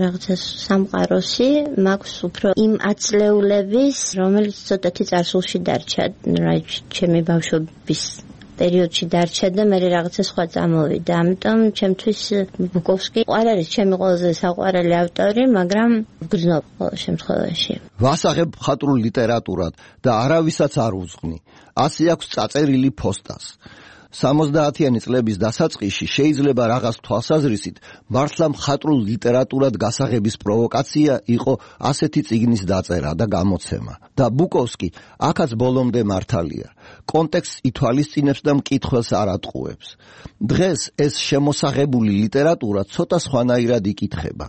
რაღაცა სამყაროსი, მაქვს უფრო იმ აწლეულების, რომელიც ცოტათი წარსულში დარჩა, ჩემი ბავშვობის პერიოდში დარჩა და მე რაღაცა სხვა წამოვიდა. ამიტომ ჩემთვის ბუკოვსკი არ არის ჩემი ყველაზე საყვარელი ავტორი, მაგრამ ვგრძნობ ყოველ შემთხვევაში. ვასაღებ მხატვრულ ლიტერატურად და არავისაც არ უძღვნი. ასე აქვს წაწერილი ფოსტას. სამოცდაათიანი წლების დასაწყისში შეიძლება რაღაც თვალსაზრისით მართლა მხატვრულ ლიტერატურად გასაღების პროვოკაცია იყო ასეთი წიგნის დაწერა და გამოცემა. და ბუკოვსკი აქაც ბოლომდე მართალია. კონტექსტს ითვალისწინებს და მკითხველს არ ატყუებს. დღეს ეს შემოსაღებული ლიტერატურა ცოტა სხვანაირად იკითხება.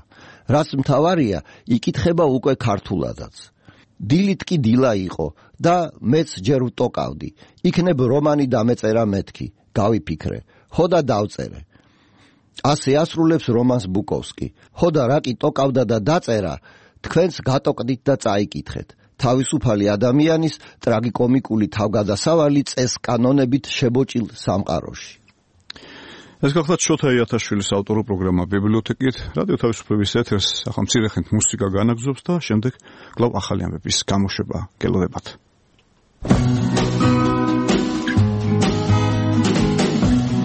რაც მთავარია, იკითხება უკვე ქართულადაც. დილით კი დილა იყო და მეც ჯერ ვტოკავდი. იქნებ რომანი დამეწერა მეთქი, გავიფიქრე, ხოდა დავწერე. ასე ასრულებს რომანს ბუკოვსკი. ხოდა რა კი ტოკავდა და დაწერა, თქვენს გატოკდით და წაიკითხეთ. თავისუფალი ადამიანის ტრაგიკომიკული თავგადასავალი წესკანონებით შებოჭილ სამყაროში. ეს გახლავთ შოთა იათაშვილის ავტორო პროგრამა ბიბლიოთეკით, რადიო თავისუფლების ეთერს ახლა მცირე ხნით მუსიკა განაგზობს და შემდეგ კვლავ ახალი ამბების გამოშვება გელოდებათ.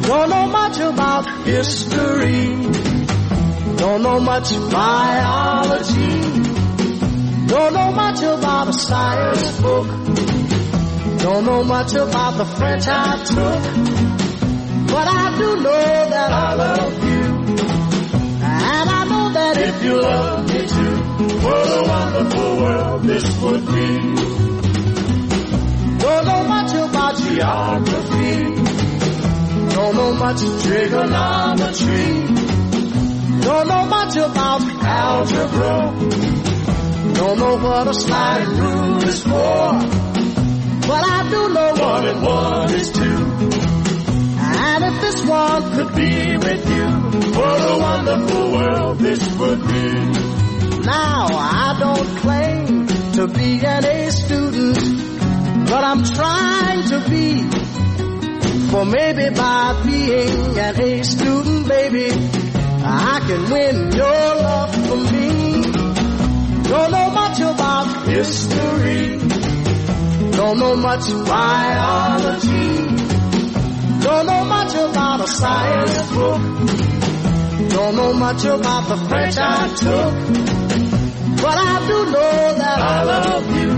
Don't know much about history, don't know much biology, don't know much about a science book, don't know much about the French I took, but I do know that I love you, and I know that if you love me too, what a wonderful world this would be. Don't know much about geography, don't know much trigonometry, don't know much about algebra, don't know what a sliding rule is for, but I do know one and one is two. And if this one could be with you, what a wonderful world this would be. Now I don't claim to be an A student, but I'm trying to be. For maybe by being an A student, baby, I can win your love for me. Don't know much about history, don't know much biology, don't know much about a science book, don't know much about the French I took, but I do know that I love you,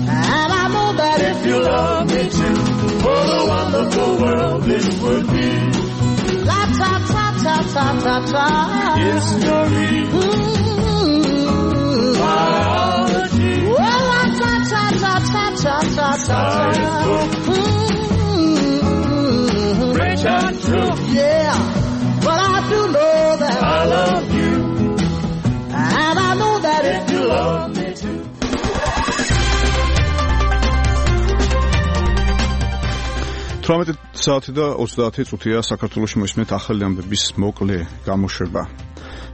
and I know that if you love me too, what a wonderful world this would be. La ta ta ta ta ta ta. History, mm-hmm. Biology, well la ta ta ta ta ta ta ta. Mm-hmm. French I took, yeah, but I do know that I თვრამეტი საათი და ოცდაათი წუთია საქართველოში მოისმენთ ახალი ამბების მოკლე გამოშვება.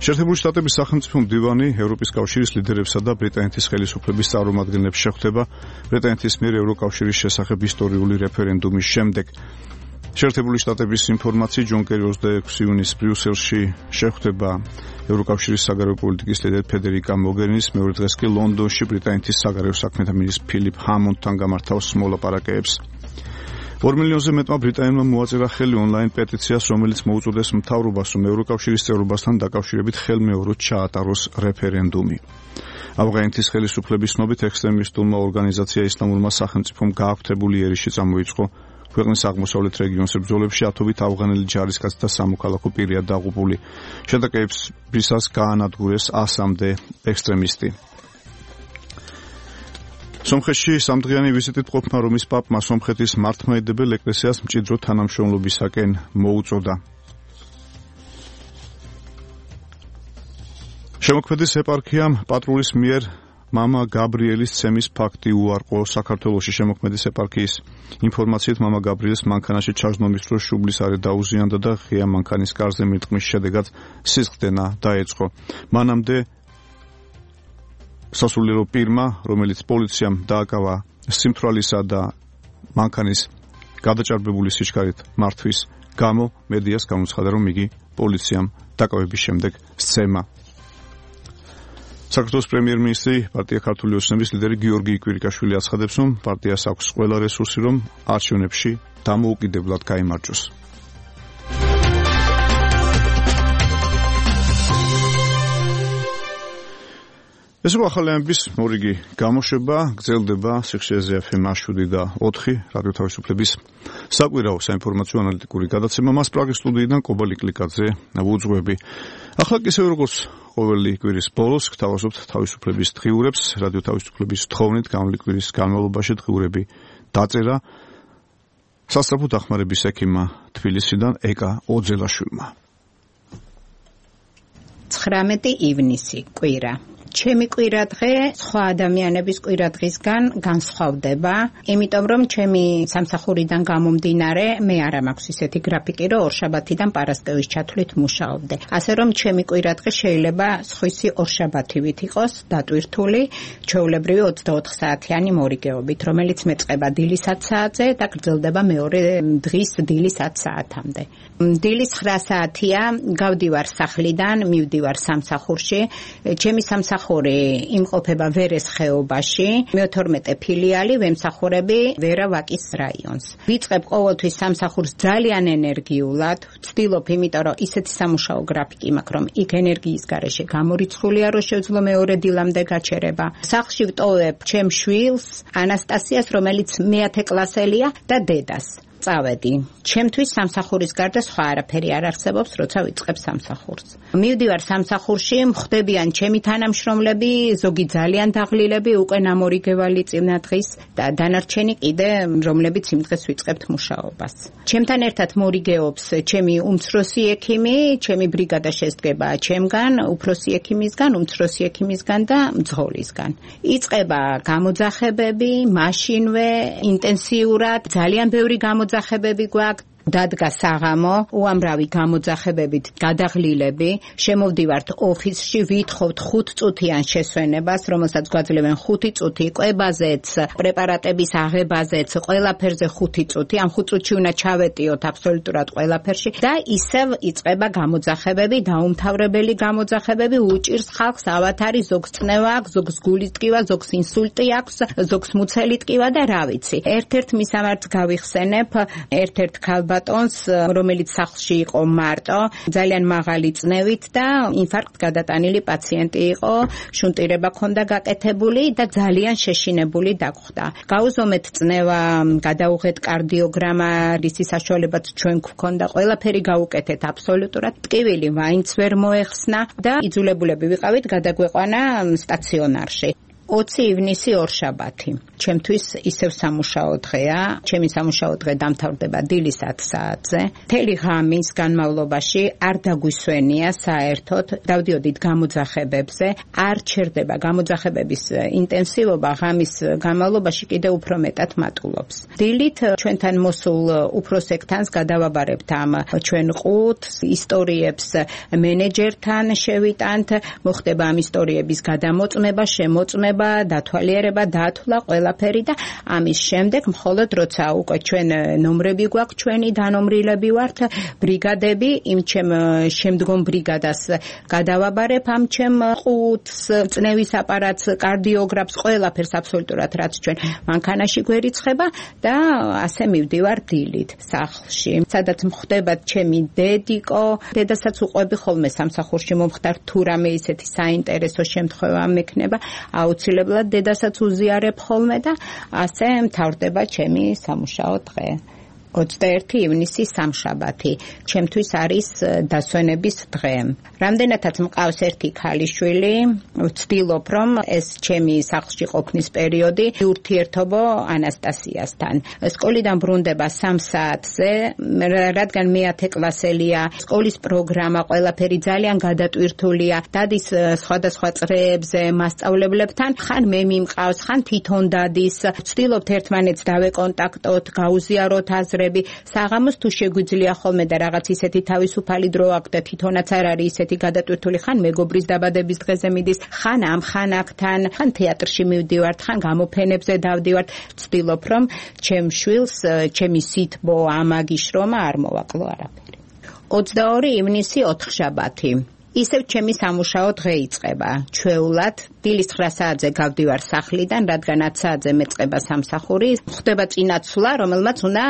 შეერთებული შტატების სახელმწიფო მდივანი ევროპის კავშირის ლიდერებსა და ბრიტანეთის ხელისუფლების წარმომადგენლებს შეხვდება ბრიტანეთის მიერ ევროკავშირის შესახებ ისტორიული რეფერენდუმის შემდეგ. შეერთებული შტატების ინფორმაციით ჯონ კერი ოცდაექვსი ივნისს ბრიუსელში შეხვდება ევროკავშირის საგარეო პოლიტიკის ლიდერ ფედერიკა მოგერინის, მეორე დღეს კი ლონდონში ბრიტანეთის საგარეო საქმეთა მინისტრ ფილიპ ჰამონდთან გამართავს მოლაპარაკებებს. ორ მილიონზე მეტმა ბრიტანელმა მოაწერა ხელი ონლაინ პეტიციას, რომელიც მოუწოდეს მთავრობას, რომ ევროკავშირის წევრობასთან დაკავშირებით ხელმეოროდ ჩაატაროს რეფერენდუმი. ავღანეთის ხელისუფლების ცნობით ექსტრემისტულმა ორგანიზაცია ისლამურმა სახელმწიფომ გააქვთებული ერიში წამოიწყო ქვეყნის აღმოსავლეთ რეგიონის ბრძოლებში ათობით ავღანელი ჯარისკაცი და სამოქალაქო პირია დაღუპული. შეტაკებისას გაანადგურეს ასამდე ექსტრემისტი. სომხეთში სამდღიანი ვიზიტით ყოფნა რომის პაპმა სომხეთის მართლმადიდებელ ეკლესიას მჭიდრო თანამშრომლობისაკენ მოუწოდა. შემოქმედის ეპარქიამ პატრულის მიერ მამა გაბრიელის ცემის ფაქტი უარყო. საქართველოში შემოქმედის ეპარქიის ინფორმაციით მამა გაბრიელს მანქანაში ჩაჟდომის დროს შუბლის არე დაუზიანდა და ღია მანქანის კარზე მირტყმის შედეგად სისხლდენა დაეწყო. მანამდე სასულიერო პირმა, რომელიც პოლიციამ დააკავა სიმთვრალისა და მანქანის გადაჭარბებული სიჩქარით მართვის გამო, მედიას გამოცხადა, რომ იგი პოლიციამ დაკავების შემდეგ სცემა. საქართველოს პრემიერ-მინისტრი პარტია ქართული ოცნების ლიდერი გიორგი კვირიკაშვილი აცხადებს, რომ პარტიას აქვს ყველა რესურსი, რომ არჩევნებში დამოუკიდებლად გაიმარჯვოს. ეს იყო ახალი ამბების მორიგი გამოშვება, გრძელდება სიხშირეზე ეფ ემ შვიდი და ოთხი რადიო თავისუფლების საკვირაო საინფორმაციო ანალიტიკური გადაცემა. მას პრაღის სტუდიიდან კობალი კლიკაძე ვუძღვები. ახლა კი ისე როგორც ყოველი კვირის ბოლოს გთავაზობთ თავისუფლების დღიურებს, რადიო თავისუფლების თხოვნით გამოვლი კვირის განმავლობაში დღიურები დაწერა სასწრაფო დახმარების ექიმმა თბილისიდან ეკა ოძელაშვილმა. ცხრამეტი ივნისი კვირა. ჩემი კვირადღე სხვა ადამიანების კვირადღისგან განსხვავდება, იმიტომ რომ ჩემი სამსახურიდან გამომდინარე მე არ მაქვს ისეთი გრაფიკი, რომ ორშაბათიდან პარასკევის ჩათვლით მუშაობდე. ასე რომ ჩემი კვირადღე შეიძლება სხვისი ორშაბათივით იყოს დატვირთული, ჩვეულებრივი ოცდაოთხ საათიანი მორიგეობით, რომელიც მეწყება დილის ათ საათზე და გრძელდება მეორე დღის დილის ათ საათამდე. დილის ცხრა საათია, გავდივარ სახლიდან, მივდივარ სამსახურში, ჩემი სამსახური იმყოფება ვერეს ხეობაში, მეთორმეტე ფილიალი, ვემსახურები ვერა ვაკის რაიონს. ვიწყებ ყოველთვის სამსახურს ძალიან ენერგიულად, ვცდილობ, იმიტომ რომ ისეთი სამუშაო გრაფიკი მაქვს, რომ იქ ენერგიის გარეშე გამორიცხულია, რომ შევძლო მეორე დილამდე გაჩერება. სახლში ვტოვებ ჩემ შვილს, ანასტასიას, რომელიც მეათე კლასელია და დედას. წავედი. ჩემთვის სამსახურის გარდა სხვა არაფერი არ არსებობს, როცა ვიწყებ სამსახურს. მივდივარ სამსახურში, მხდებიან ჩემი თანამშრომლები, ზოგი ძალიან დაღლილები, უკვე ნამორიგევალი წინა დღის და დანარჩენი კიდე, რომლებიც იმ დღეს ვიწყებთ მუშაობას. ჩემთან ერთად მორიგეობს ჩემი უმცროსი ექიმი, ჩემი ბრიგადა შედგება ჩემგან, უფროსი ექიმისგან, უმცროსი ექიმისგან და მძღოლისგან. იწყება გამოძახებები, მაშინვე, ინტენსიურად, ძალიან ბევრი გამოძახებები ძახებები გვაქვს. დადგა საღამო, უამრავი გამოძახებებით გადაღლილები, შემოვდივართ ოფისში, ვითხოვთ ხუთ წუთიან შესვენებას, რომელსაც გვაძლევენ ხუთი წუთი, კვებაზეც, პრეპარატების აღებაზეც, ყველაფერზე ხუთი წუთი, ამ ხუთ წუთში უნდა ჩავეტიოთ აბსოლუტურად ყველაფერში და ისევ იწყება გამოძახებები, დაუმთავრებელი გამოძახებები, უჭირს ხალხს ავათარი, ზოგს წნევა აქვს, ზოგს გულის ტკივა, ზოგს ინსულტი აქვს, ზოგს მუცელი ტკივა და რა ვიცი. ერთ-ერთ მისამართს გავიხსენებ, ერთ-ერთ ქალბატონს ბატონს, რომელიც სახლში იყო მარტო, ძალიან მაღალი წნევით და ინფარქტ გადატანილი პაციენტი იყო, შუნტირება ჰქონდა გაკეთებული და ძალიან შეშინებული დაგხვდა. გაუზომეთ წნევა, გადაუღეთ კარდიოგრამა, რისი საშუალებაც ჩვენ გვქონდა, ყველაფერი გაუკეთეთ აბსოლუტურად. ტკივილი მაინც ვერ მოეხსნა და იძულებულები ვიყავით გადაგვეყვანა სტაციონარში. ოცი ივნისი ორშაბათი. ჩემთვის ისევ სამუშაო დღეა. ჩემი სამუშაო დღე დამთავრდება დილის ათ საათზე. მთელი ღამის განმავლობაში არ დაგვისვენია საერთოდ დავდიოდით გამოძახებებზე. არ ჩერდება გამოძახებების ინტენსივობა ღამის განმავლობაში კიდევ უფრო მეტად მატულობს. დილით ჩვენთან მოსულ უფროსებთან გადავაბარებთ ამ ჩვენ ყუთს, ისტორიებს მენეჯერთან შევიტანთ, მოხდება ამ ისტორიების გადამოწმება, შემოწმება, დათვალიერება, დათვლა ყველაფერი და ამის შემდეგ მხოლოდ როცა უკვე ჩვენ ნომრები გვაქვს, ჩვენი დანომრილები ვართ, ბრიგადები, იმ ჩემ შემდგომ ბრიგადას გადავაბარებ ამ ჩემ ყუთს, წნევის აპარატს, კარდიოგრაფს, ყველაფერს აბსოლუტურად რაც ჩვენ მანქანაში გვერიცხება და ასე მივდივარ დილით სახლში. სადაც მხდება ჩემი დედიკო, დედასაც უყვები ხოლმე სამსახურში მომხდარ თუ რამე ისეთი საინტერესო შემთხვევა მექნება, აუცილებლად დედასაც უზიარებ ხოლმე და ასე მთავრდება ჩემი სამუშაო დღე. ოცდაერთი ივნისი სამშაბათი. ჩემთვის არის დასვენების დღე. რამდენადაც მყავს ერთი ქალიშვილი, ვცდილობ რომ ეს ჩემი სახლში ყოფნის პერიოდი ურთიერთობო ანასტასიასთან. სკოლიდან ბრუნდება სამ საათზე, რადგან მეათე კლასელია, სკოლის პროგრამა ყველაფერი ძალიან გადატვირთულია. დადის სხვადასხვა წრეებზე მასწავლებლებთან, ხან მე მიმყავს, ხან თვითონ დადის. ვცდილობთ ერთმანეთს დავეკონტაქტოთ, გაუზიაროთ აზრები. საღამოს თუ შეგვიძლია ხოლმე და რაღაც ისეთი თავისუფალი დრო აქვს და თვითონაც არ არის ისეთი გადატვირთული, ხან მეგობრის დაბადების დღეზე მიდის, ხან ამ ხან აქთან, ხან თეატრში მივდივართ, ხან გამოფენებზე დავდივართ. ვცდილობ რომ ჩემ შვილს, ჩემი სითბო, ამაგი შრომა არ მოვაკლო არაფერი. ოცდაორი ივნისი ოთხშაბათი. ისევ ჩემი სამუშაო დღე იწყება. ჩვეულად დილის ცხრა საათზე გავდივარ სახლიდან, რადგან ათ საათზე მეწყება სამსახური. ხდება წინაცვლა, რომელმაც უნდა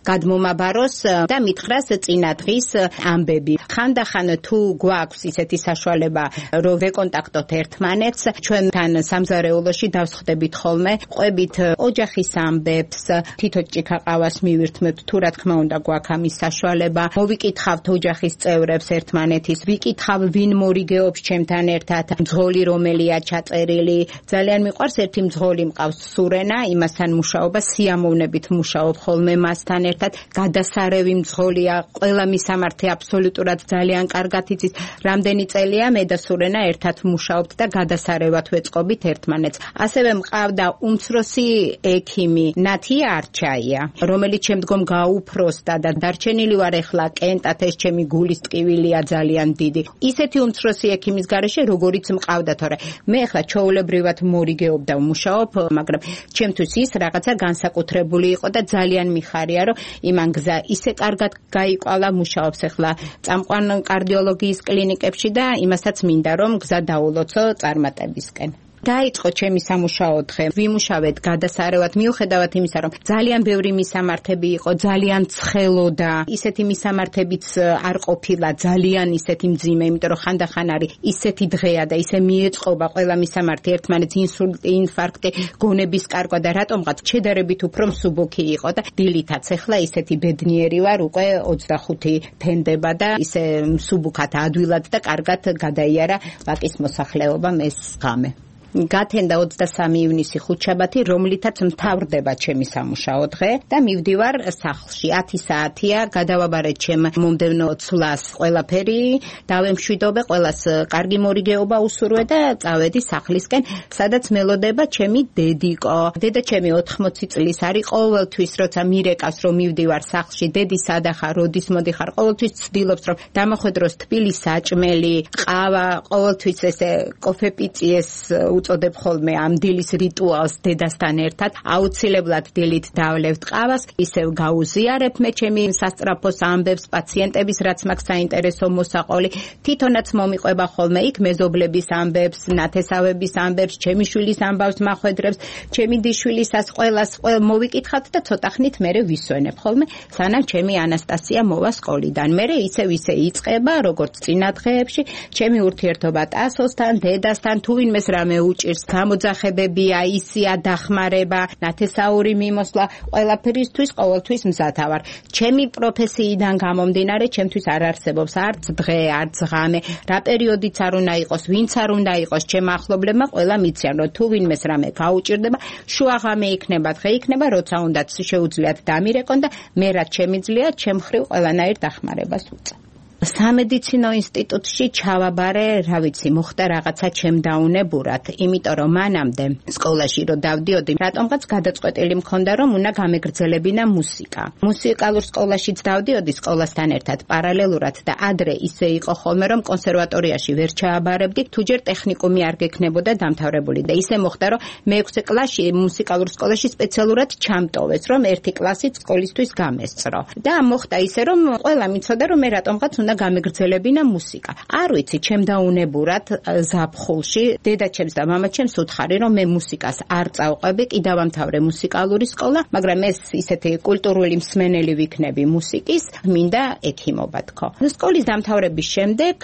გადმომაბაროს და მითხრას წინადღის ამბები. ხანდახან თუ გვაქვს ისეთი საშუალება, რომ ვეკონტაქტოთ ერთმანეთს, ჩვენთან სამზარეულოში დავსხდებით ხოლმე, ყვებით ოჯახის ამბებს, თითო ჭიქა ყავას მივირთმევთ, თუ რა თქმა უნდა გვაქვს ამის საშუალება. მოვიკითხავთ ოჯახის წევრებს ერთმანეთის, ვიკითხავ ვინ მორიგეობს ჩემთან ერთად, მძღოლი რომელია წერილი. ძალიან მიყვარს ერთი მძღოლი მყავს სურენა, იმასთან მუშაობა, სიამოვნებით მუშაობ ხოლმე მასთან ერთად. გადასარევი მძღოლია, ყველა მისამართი აბსოლუტურად ძალიან კარგად იცის. რამდენი წელია მე და სურენა ერთად მუშაობთ და გადასარევად ვეწყობით ერთმანეთს. ასევე მყავდა უმცროსი ექიმი ნათია არჩაია, რომელიც შემდგომ გაუფროსდა და დარჩენილი ვარ ეხლა კენტად, ეს ჩემი გულის ტკივილია ძალიან დიდი. ისეთი უმცროსი ექიმის გარეშე როგორიც მყავდა, თორე მე ახლა ჩაოლებრივად მორიგეობ და ვმუშაობ, მაგრამ ჩემთვის ის რაღაცა განსაკუთრებული იყო და ძალიან მიხარია, რომ იმან გზა ისე კარგად გაიყვალა, მუშაობს ახლა წამყვან კარდიოლოგიის კლინიკებში და იმასაც მინდა რომ გზა დაულოცო წარმატებისკენ. დაიწყო ჩემი სამუშაო დღე. ვიმუშავეთ გადასარევად, მიუხედავად იმისა, რომ ძალიან ბევრი მისამართები იყო, ძალიან ცხელოდა. ისეთი მისამართებიც არ ყოფილა, ძალიან ისეთი მძიმე, იმიტომ რომ ხანდახან არის ისეთი დღეა და ისე მიეწყობა ყველა მისამართი ერთმანეთს, ინსულტი, ინფარქტი, გონების კარგვა და რატომღაც შედარებით უფრო მსუბუქი იყო და დილითაც ახლა ისეთი ბედნიერი ვარ, უკვე ოცდახუთი თენდება და ისე მსუბუქად ადვილად და კარგად გადაიარა ვაკის მოსახლეობამ ეს ღამე. გათენდა ოცდასამი ივნისი ხუთშაბათი, რომლითაც მთავრდება ჩემი სამუშაო დღე და მივდივარ სახლში. ათი საათია, გადავაბარეთ ჩემ მომდევნო ცვლას ყველაფერი, დავემშვიდობე, ყველას კარგი მორიგეობა უსურვე და წავედი სახლისკენ, სადაც მელოდება ჩემი დედიკო. დედა ჩემი ოთხმოცი წლის არის, ყოველთვის როცა მირეკავს რომ მივდივარ სახლში, დედი სადა ხარ, როდის მოდიხარ, ყოველთვის ცდილობს რომ დამახვედროს თბილი საჭმელი, ყავა, ყოველთვის ესე კოფე-პიწიეს უწოდებ ხოლმე ამ დილის რიტუალს დედასთან ერთად. აუცილებლად დილით დავლევთ ყავას, ისევ გაუზიარებ მე ჩემი სასწრაფოს ამბებს, პაციენტების რაც მაქვს საინტერესო მოსაყოლი. თვითონაც მომიყვება ხოლმე იქ მეზობლების ამბებს, ნათესავების ამბებს, ჩემი შვილის ამბავს მახვედრებს, ჩემი დიშვილისას ყველას ყველ მოვიკითხავთ და ცოტა ხნით მერე ვისვენებ ხოლმე, სანამ ჩემი ანასტასია მოვა სკოლიდან. მერე ისევ ისე იწყება, როგორც წინა დღეებში, ჩემი ურთიერთობა ტასოსთან, დედასთან, თუ ვინმეს რამე გაუჭირს, გამოძახებებია, ისია დახმარება, ნათესაური მიმოსვლა, ყველაფერისთვის ყოველთვის მზათა ვარ. ჩემი პროფესიიდან გამომდინარე, ჩემთვის არ არსებობს არც დღე, არც ღამე, რა პერიოდიც არ უნდა იყოს, ვინც არ უნდა იყოს, ჩემ ახლობლებმა ყველა მიციან, რომ თუ ვინმეს რამე გაუჭირდება, შუაღამე იქნება, დღე იქნება, როცა უნდაც შეუძლიათ დამირეკონ და მე რაც შემიძლია, ჩემ მხრივ ყველანაირ დახმარებას ვუწევ. სამედიცინო ინსტიტუტში ჩავაბარე, რა ვიცი, მოხდა რაღაცა ჩემ დაუნებურად, იმიტომ რომ მანამდე სკოლაში რო დავდიოდი, რატომღაც გადაწყვეტილი მქონდა, რომ უნდა გამეგრძელებინა მუსიკა. მუსიკალურ სკოლაშიც დავდიოდი სკოლასთან ერთად პარალელურად და ადრე ისე იყო ხოლმე, რომ კონსერვატორიაში ვერ ჩააბარებდი, თუჯერ ტექნიკუმი არ გექნებოდა დამთავრებული და ისე მოხდა, რომ მეექვსე კლასში მუსიკალურ სკოლაში სპეციალურად ჩამტოვეს, რომ ერთი კლასით სკოლისთვის გამესწრო. და მოხდა ისე, რომ ყველა მიცოდა, რომ მე რატომღაც გამეგრძელებინა მუსიკა. არ ვიცი, ჩემ დაუნებურად ზაფხულში დედაჩემს და მამაჩემს უთხარი, რომ მე მუსიკას არ წავყვები, კიდევ ამთავრე მუსიკალური სკოლა, მაგრამ ეს ისეთი კულტურული მსმენელი ვიქნები მუსიკის, მინდა ექიმობა თქო. სკოლის დამთავრების შემდეგ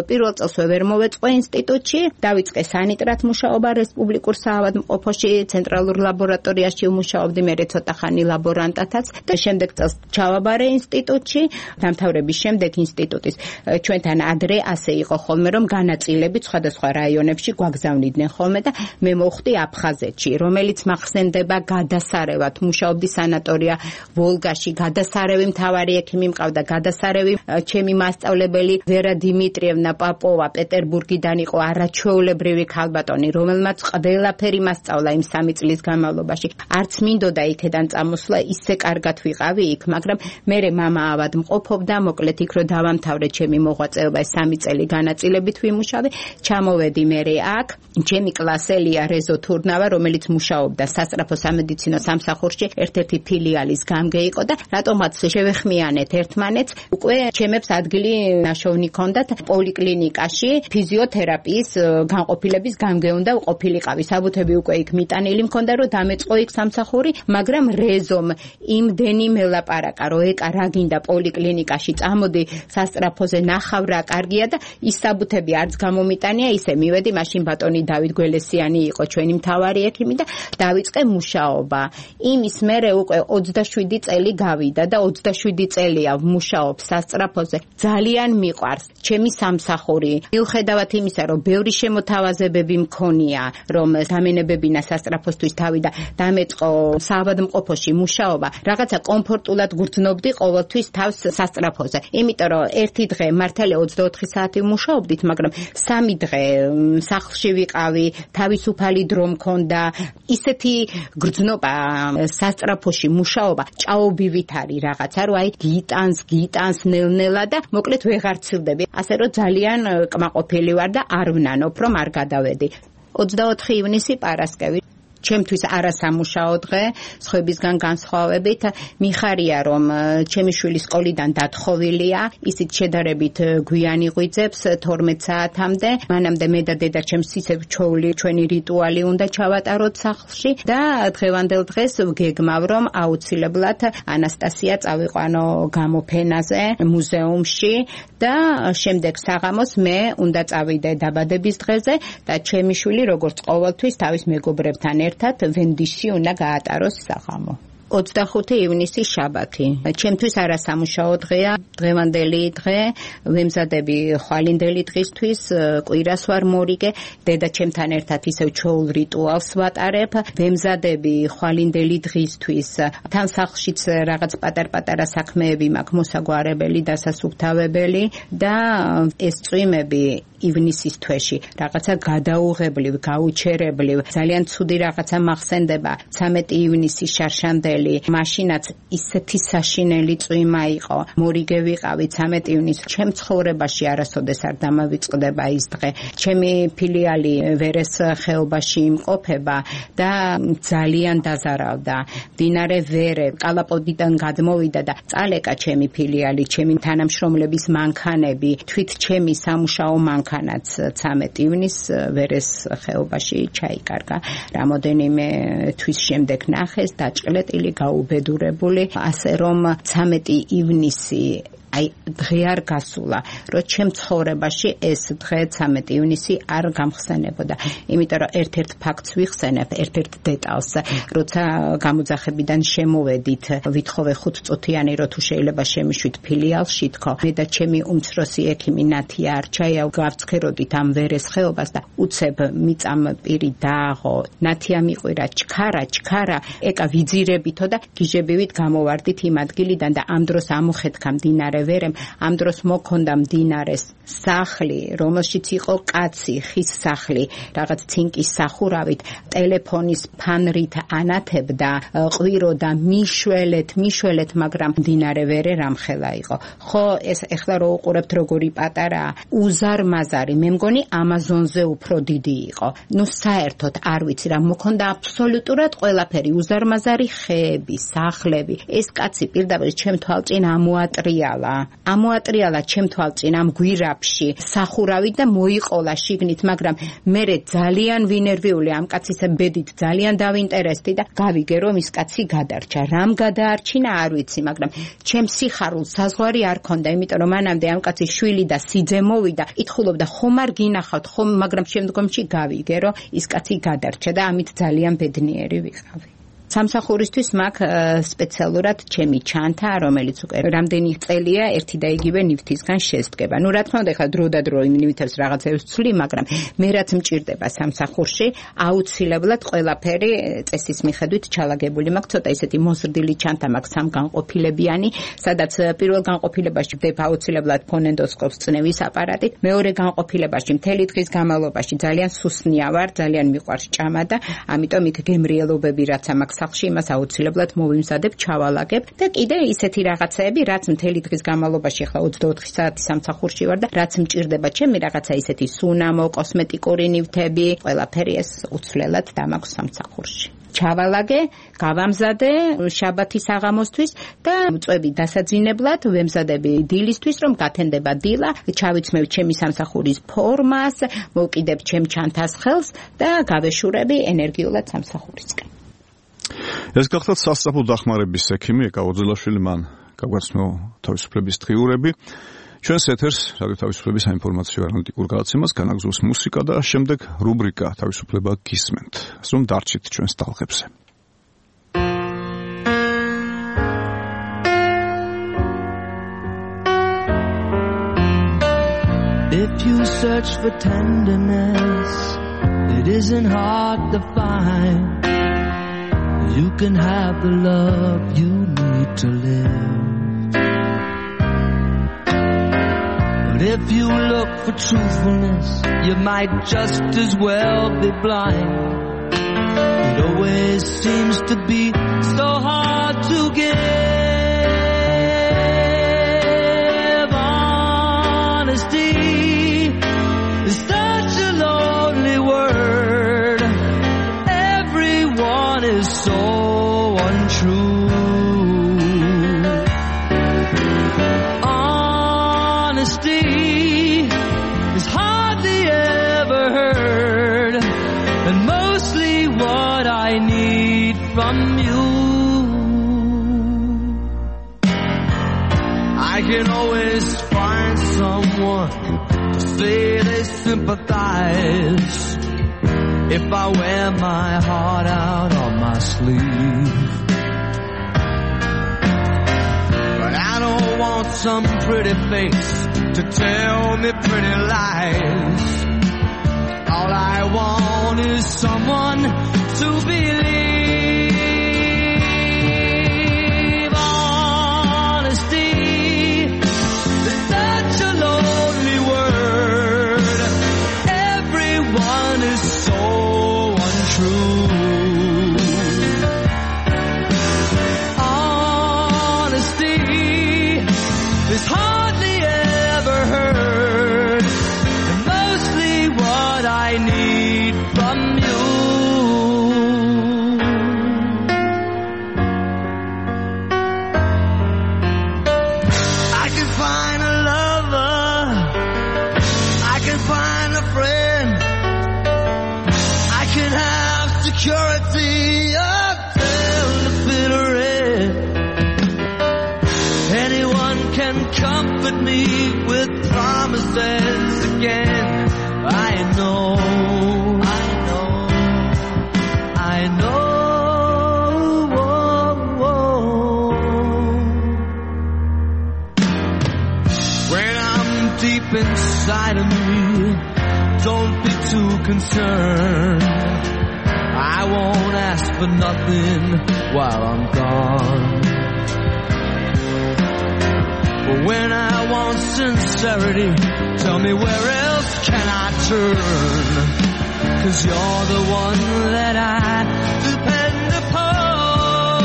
პირველ წელს ვერ მოვეწყო ინსტიტუტში, დავიწყე სანიტრად მუშაობა რესპუბლიკურ საავადმყოფოში, ცენტრალურ ლაბორატორიაში ვმუშაობდი, მე ცოტა ხანი ლაბორანტათაც და შემდეგ წელს ჩავაბარე ინსტიტუტში, დამთავრების შემდეგ ინსტიტუტი ჩვენთან ადრე ასე იყო ხოლმე, რომ განაწილებით სხვადასხვა რაიონებში გვაგზავნიდნენ ხოლმე და მე მოვხვდი აფხაზეთში, რომელიც მახსენდება გადასარევად. მუშაობდი სანატორია ვოლგაში, გადასარევი მთავარი ექიმი მყავდა, გადასარევი ჩემი მასწავლებელი ვერა დიმიტრიევნა პაპოვა პეტერბურგიდან იყო, არაჩვეულებრივი ქალბატონი, რომელმაც ყველაფერი მასწავლა იმ სამი წლის განმავლობაში. არც მინდოდა იქედან წამოსვლა, ისე კარგად ვიყავი იქ, მაგრამ მე მამა ავადმყოფობდა, მოკლედ იქ რო დავამთავრე ჩემი მოღვაწეობა, სამი წელი განაწილებით ვიმუშავე, ჩამოვედი მე აქ, ჩემი კლასელია რეზო თურნავა, რომელიც მუშაობდა სასწრაფო სამედიცინო სამსახურში, ერთ-ერთი ფილიალის გამგე იყო და რატომაც შევეხმიანეთ ერთმანეთს, უკვე ჩემებს ადგილი ნაშოვნი ჰქონდათ პოლიკლინიკაში, ფიზიოთერაპიის განყოფილების გამგე უნდა ყოფილიყავი. საბუთები უკვე იქ მიტანილი მქონდა, რომ დამეწყო იქ სამსახური, მაგრამ რეზომ იმდენი მელაპარაკა, რომ ეკა რა გინდა პოლიკლინიკაში წამოდი სასტრაფოზე ნახავ რა კარგია და ის საბუთები არც გამომიტანია, ისე მივედი, მაშინ ბატონი დავით გველესიანი იყო ჩვენი მთავარი ექიმი და დავიწყე მუშაობა. იმის მერე უკვე ოცდაშვიდი წელი გავიდა და ოცდაშვიდი წელია ვმუშაობ სასტრაფოზე. ძალიან მიყვარს ჩემი სამსახური. მიუხედავად იმისა, რომ ბევრი შემოთავაზებები მქონია, რომ დამენებებინა სასტრაფოსთვის თავი და დამეწყო საავადმყოფოში მუშაობა, რაღაცა კომფორტულად გრძნობდი ყოველთვის თავს სასტრაფოზე. იმიტომ რომ ერთი დღე მართალია ოცდაოთხი საათი ვმუშაობდით, მაგრამ სამი დღე სახლში ვიყავი, თავისუფალი დრო მქონდა, ისეთი გრძნობა სასტრაფოში მუშაობა, ჭაობივით არის რაღაცა, რომ აი გიტანს, გიტანს ნელ-ნელა და მოკლედ ვეღარ ცილდები. ასე რომ ძალიან კმაყოფილი ვარ და არ ვნანობ, რომ არ გადავედი. ოცდაოთხი ივნისი პარასკევი. ჩემთვის არასამუშაო დღე, სხვებისგან განსხვავებით, მიხარია რომ ჩემი შვილი სკოლიდან დათხოვილია, ისიც შედარებით გვიან იღვიძებს თორმეტ საათამდე, მანამდე მე და დედაჩემს ისევ ჩოვლი ჩვენი რიტუალი უნდა ჩავატაროთ სახლში და დღევანდელ დღეს ვგეგმავ რომ აუცილებლად ანასტასია წავიყვანო გამოფენაზე მუზეუმში და შემდეგ საღამოს მე უნდა წავიდე დაბადების დღეზე და ჩემი შვილი როგორც ყოველთვის თავის მეგობრებთან ერთად ვენდიში უნდა გაატაროს საღამო. ოცდახუთი ივნისი შაბათი. ჩემთვის არასამუშაო დღეა, დღევანდელი დღე, ვემზადები ხვალინდელი დღისთვის, კვირას ვარ მორიგე, დედაჩემთან ერთად ისევ ჩოულ რიტუალს ვატარებ, ვემზადები ხვალინდელი დღისთვის. თან სახლშიც რაღაც პატარ-პატარა საქმეები მაქვს მოსაგვარებელი, დასასუფთავებელი და ეს წვიმები ივნისის თვეში რაღაცა გადაუღებლივ, გაუჩერებლივ, ძალიან ცუდი რაღაცა მახსენდება. ცამეტი ივნისი შარშანდელი, მაშინაც ისეთი საშინელი წვიმა იყო. მორიგე ვიყავი ცამეტი ივნისს. ჩემ ცხოვრებაში არასოდეს არ დამავიწყდება ის დღე. ჩემი ფილიალი ვერეს ხეობაში იმყოფება და ძალიან დაზარავდა. მდინარე ვერე კალაპოდიდან გადმოვიდა და წალეკა ჩემი ფილიალი, ჩემი თანამშრომლების მანქანები, თვით ჩემი სამუშაო მანქანა ხანაც ცამეტი ივნისს ვერეს ხეობაში ჩაიკარგა. რამოდენიმე თვის შემდეგ ნახეს, დაჭყლეტილი, გაუბედურებული, ასე რომ ცამეტი ივნისი აი დღე არ გასულა, რომ ჩემ ცხოვრებაში ეს დღე ცამეტი ივნისი არ გამხსენებოდა. იმიტომ რომ ერთ-ერთ ფაქტს ვიხსენებ, ერთ-ერთ დეტალს, როცა გამოძახებიდან შემოვედით, ვითხოვე ხუთწუთიანი, რომ თუ შეიძლება შემიშვით ფილიალში თქო. მე და ჩემი უმცროსი ექიმი ნათია არჩაია გავცხეროდით ამ ვერესხეობას და უცებ მიწამ პირი დააღო. ნათია მიყვირა ჩქარა, ჩქარა, ეკა ვიძირებითო და გიჟებივით გამოვარდით იმ ადგილიდან და ამ დროს ამოხეთქა მდინარე ვერემ, ამ დროს მოქონდა მდინარეს სახლი, რომელშიც იყო კაცი, ხის სახლი, რაღაც ცინკის სახურავით, ტელეფონის ფანრით ანათებდა, ყვიროდა მიშველეთ, მიშველეთ, მაგრამ მდინარე ვერე რამხელა იყო. ხო, ეს ეხლა რო უყურებთ როგორი პატარაა, უზარმაზარი, მე მგონი ამაზონზე უფრო დიდი იყო. ნუ საერთოდ არ ვიცი რა მოქონდა აბსოლუტურად ყველაფერი, უზარმაზარი ხეები, სახლები. ეს კაცი პირდაპირ ჩემ თვალწინ ამოატრიალა. ამოატრიალა ჩემ თვალწინ ამ გვირაბში სახურავით და მოიყოლა შიგნით, მაგრამ მე ძალიან ვინერვიული ამ კაცის ბედით ძალიან დავინტერესდი და გავიგე რომ ის კაცი გადარჩა. რამ გადაარჩინა არ ვიცი, მაგრამ ჩემ სიხარულს საზღვარი არ ქონდა, იმიტომ რომ მანამდე ამ კაცის შვილი და სიძე მოვიდა, ითხოვდა ხომ არ გინახავთ, ხომ, მაგრამ შემდგომში გავიგე რომ ის კაცი გადარჩა და ამით ძალიან ბედნიერი ვიყავი. სამსახურისთვის მაქვს სპეციალურად ჩემი ჩანთა, რომელიც უკვე რამდენი წელია ერთი და იგივე ნივთისგან შესდგება. ნუ რა თქმა უნდა, ხა დრო და დრო იმ ნივთებს რაღაცებს ვცვლი, მაგრამ მე რაც მჭირდება სამსახურში, აუცილებლად ყველაფერი წესის მიხედვით ჩალაგებული მაქვს. ცოტა ისეთი მოზრდილი ჩანთა მაქვს სამგანყოფილებიანი, სადაც პირველ განყოფილებაში ვდებ აუცილებლად ფონენდოსკოპს წნევის აპარატით, მეორე განყოფილებაში მთელი დღის განმავლობაში ძალიან სუსნია ვარ, ძალიან მიყვარს ჭამა და ამიტომ იქ გემრიელობები რაც მაქვს სახლში იმას აუცილებლად მოვიმზადებ, ჩავალაგებ და კიდე ისეთი რაღაცეები, რაც მთელი დღის განმავლობაში ახლა ოცდაოთხი საათი სამსახურში ვარ და რაც მჭირდება ჩემი რაღაცა ისეთი სუნამო, კოსმეტიკური ნივთები, ყველაფერი ეს უცვლელად დამაქვს სამსახურში. ჩავალაგე, გავამზადე შაბათის აღამოსთვის და წვევი დასაძინებლად ვემზადები დილისთვის, რომ გათენდება დილა, ჩავიცმევ ჩემი სამსახურის ფორმას, მოვკიდებ ჩემ ჩანთას ხელს და გავეშურები ენერგიულად სამსახურისკენ. ეს გახლავთ სასწრაფო დახმარების ექიმი ეკა ოძელაშვილი, მან გაგვაცნო თავისუფლების დღიურები. ჩვენს ეთერს რადიო თავისუფლების საინფორმაციო ანალიტიკურ გადაცემას განაგზავს მუსიკა და შემდეგ რუბრიკა თავისუფლება გისმენთ. ასომ დარჩით ჩვენს ტალღებზე. If you search for tenderness, it isn't hard to find. You can have the love you need to live. But if you look for truthfulness, you might just as well be blind. It always seems to be so hard to give. Honesty is such a lonely word. Everyone is so untrue. Honesty is hardly ever heard, and mostly what I need from you. I can always find someone to say they sympathize if I wear my heart out on my sleeve. But I don't want some pretty face to tell me pretty lies. All I want is someone to believe. Honesty is such a lonely word. Everyone is so untrue. Honesty is hardly ever heard, and mostly what I need from you. comfort me with promises again. I know, I know, I know. Whoa, whoa. When I'm deep inside of me, don't be too concerned. I won't ask for nothing while I'm gone. But when I want sincerity, tell me where else can I turn? 'Cause you're the one that I depend upon.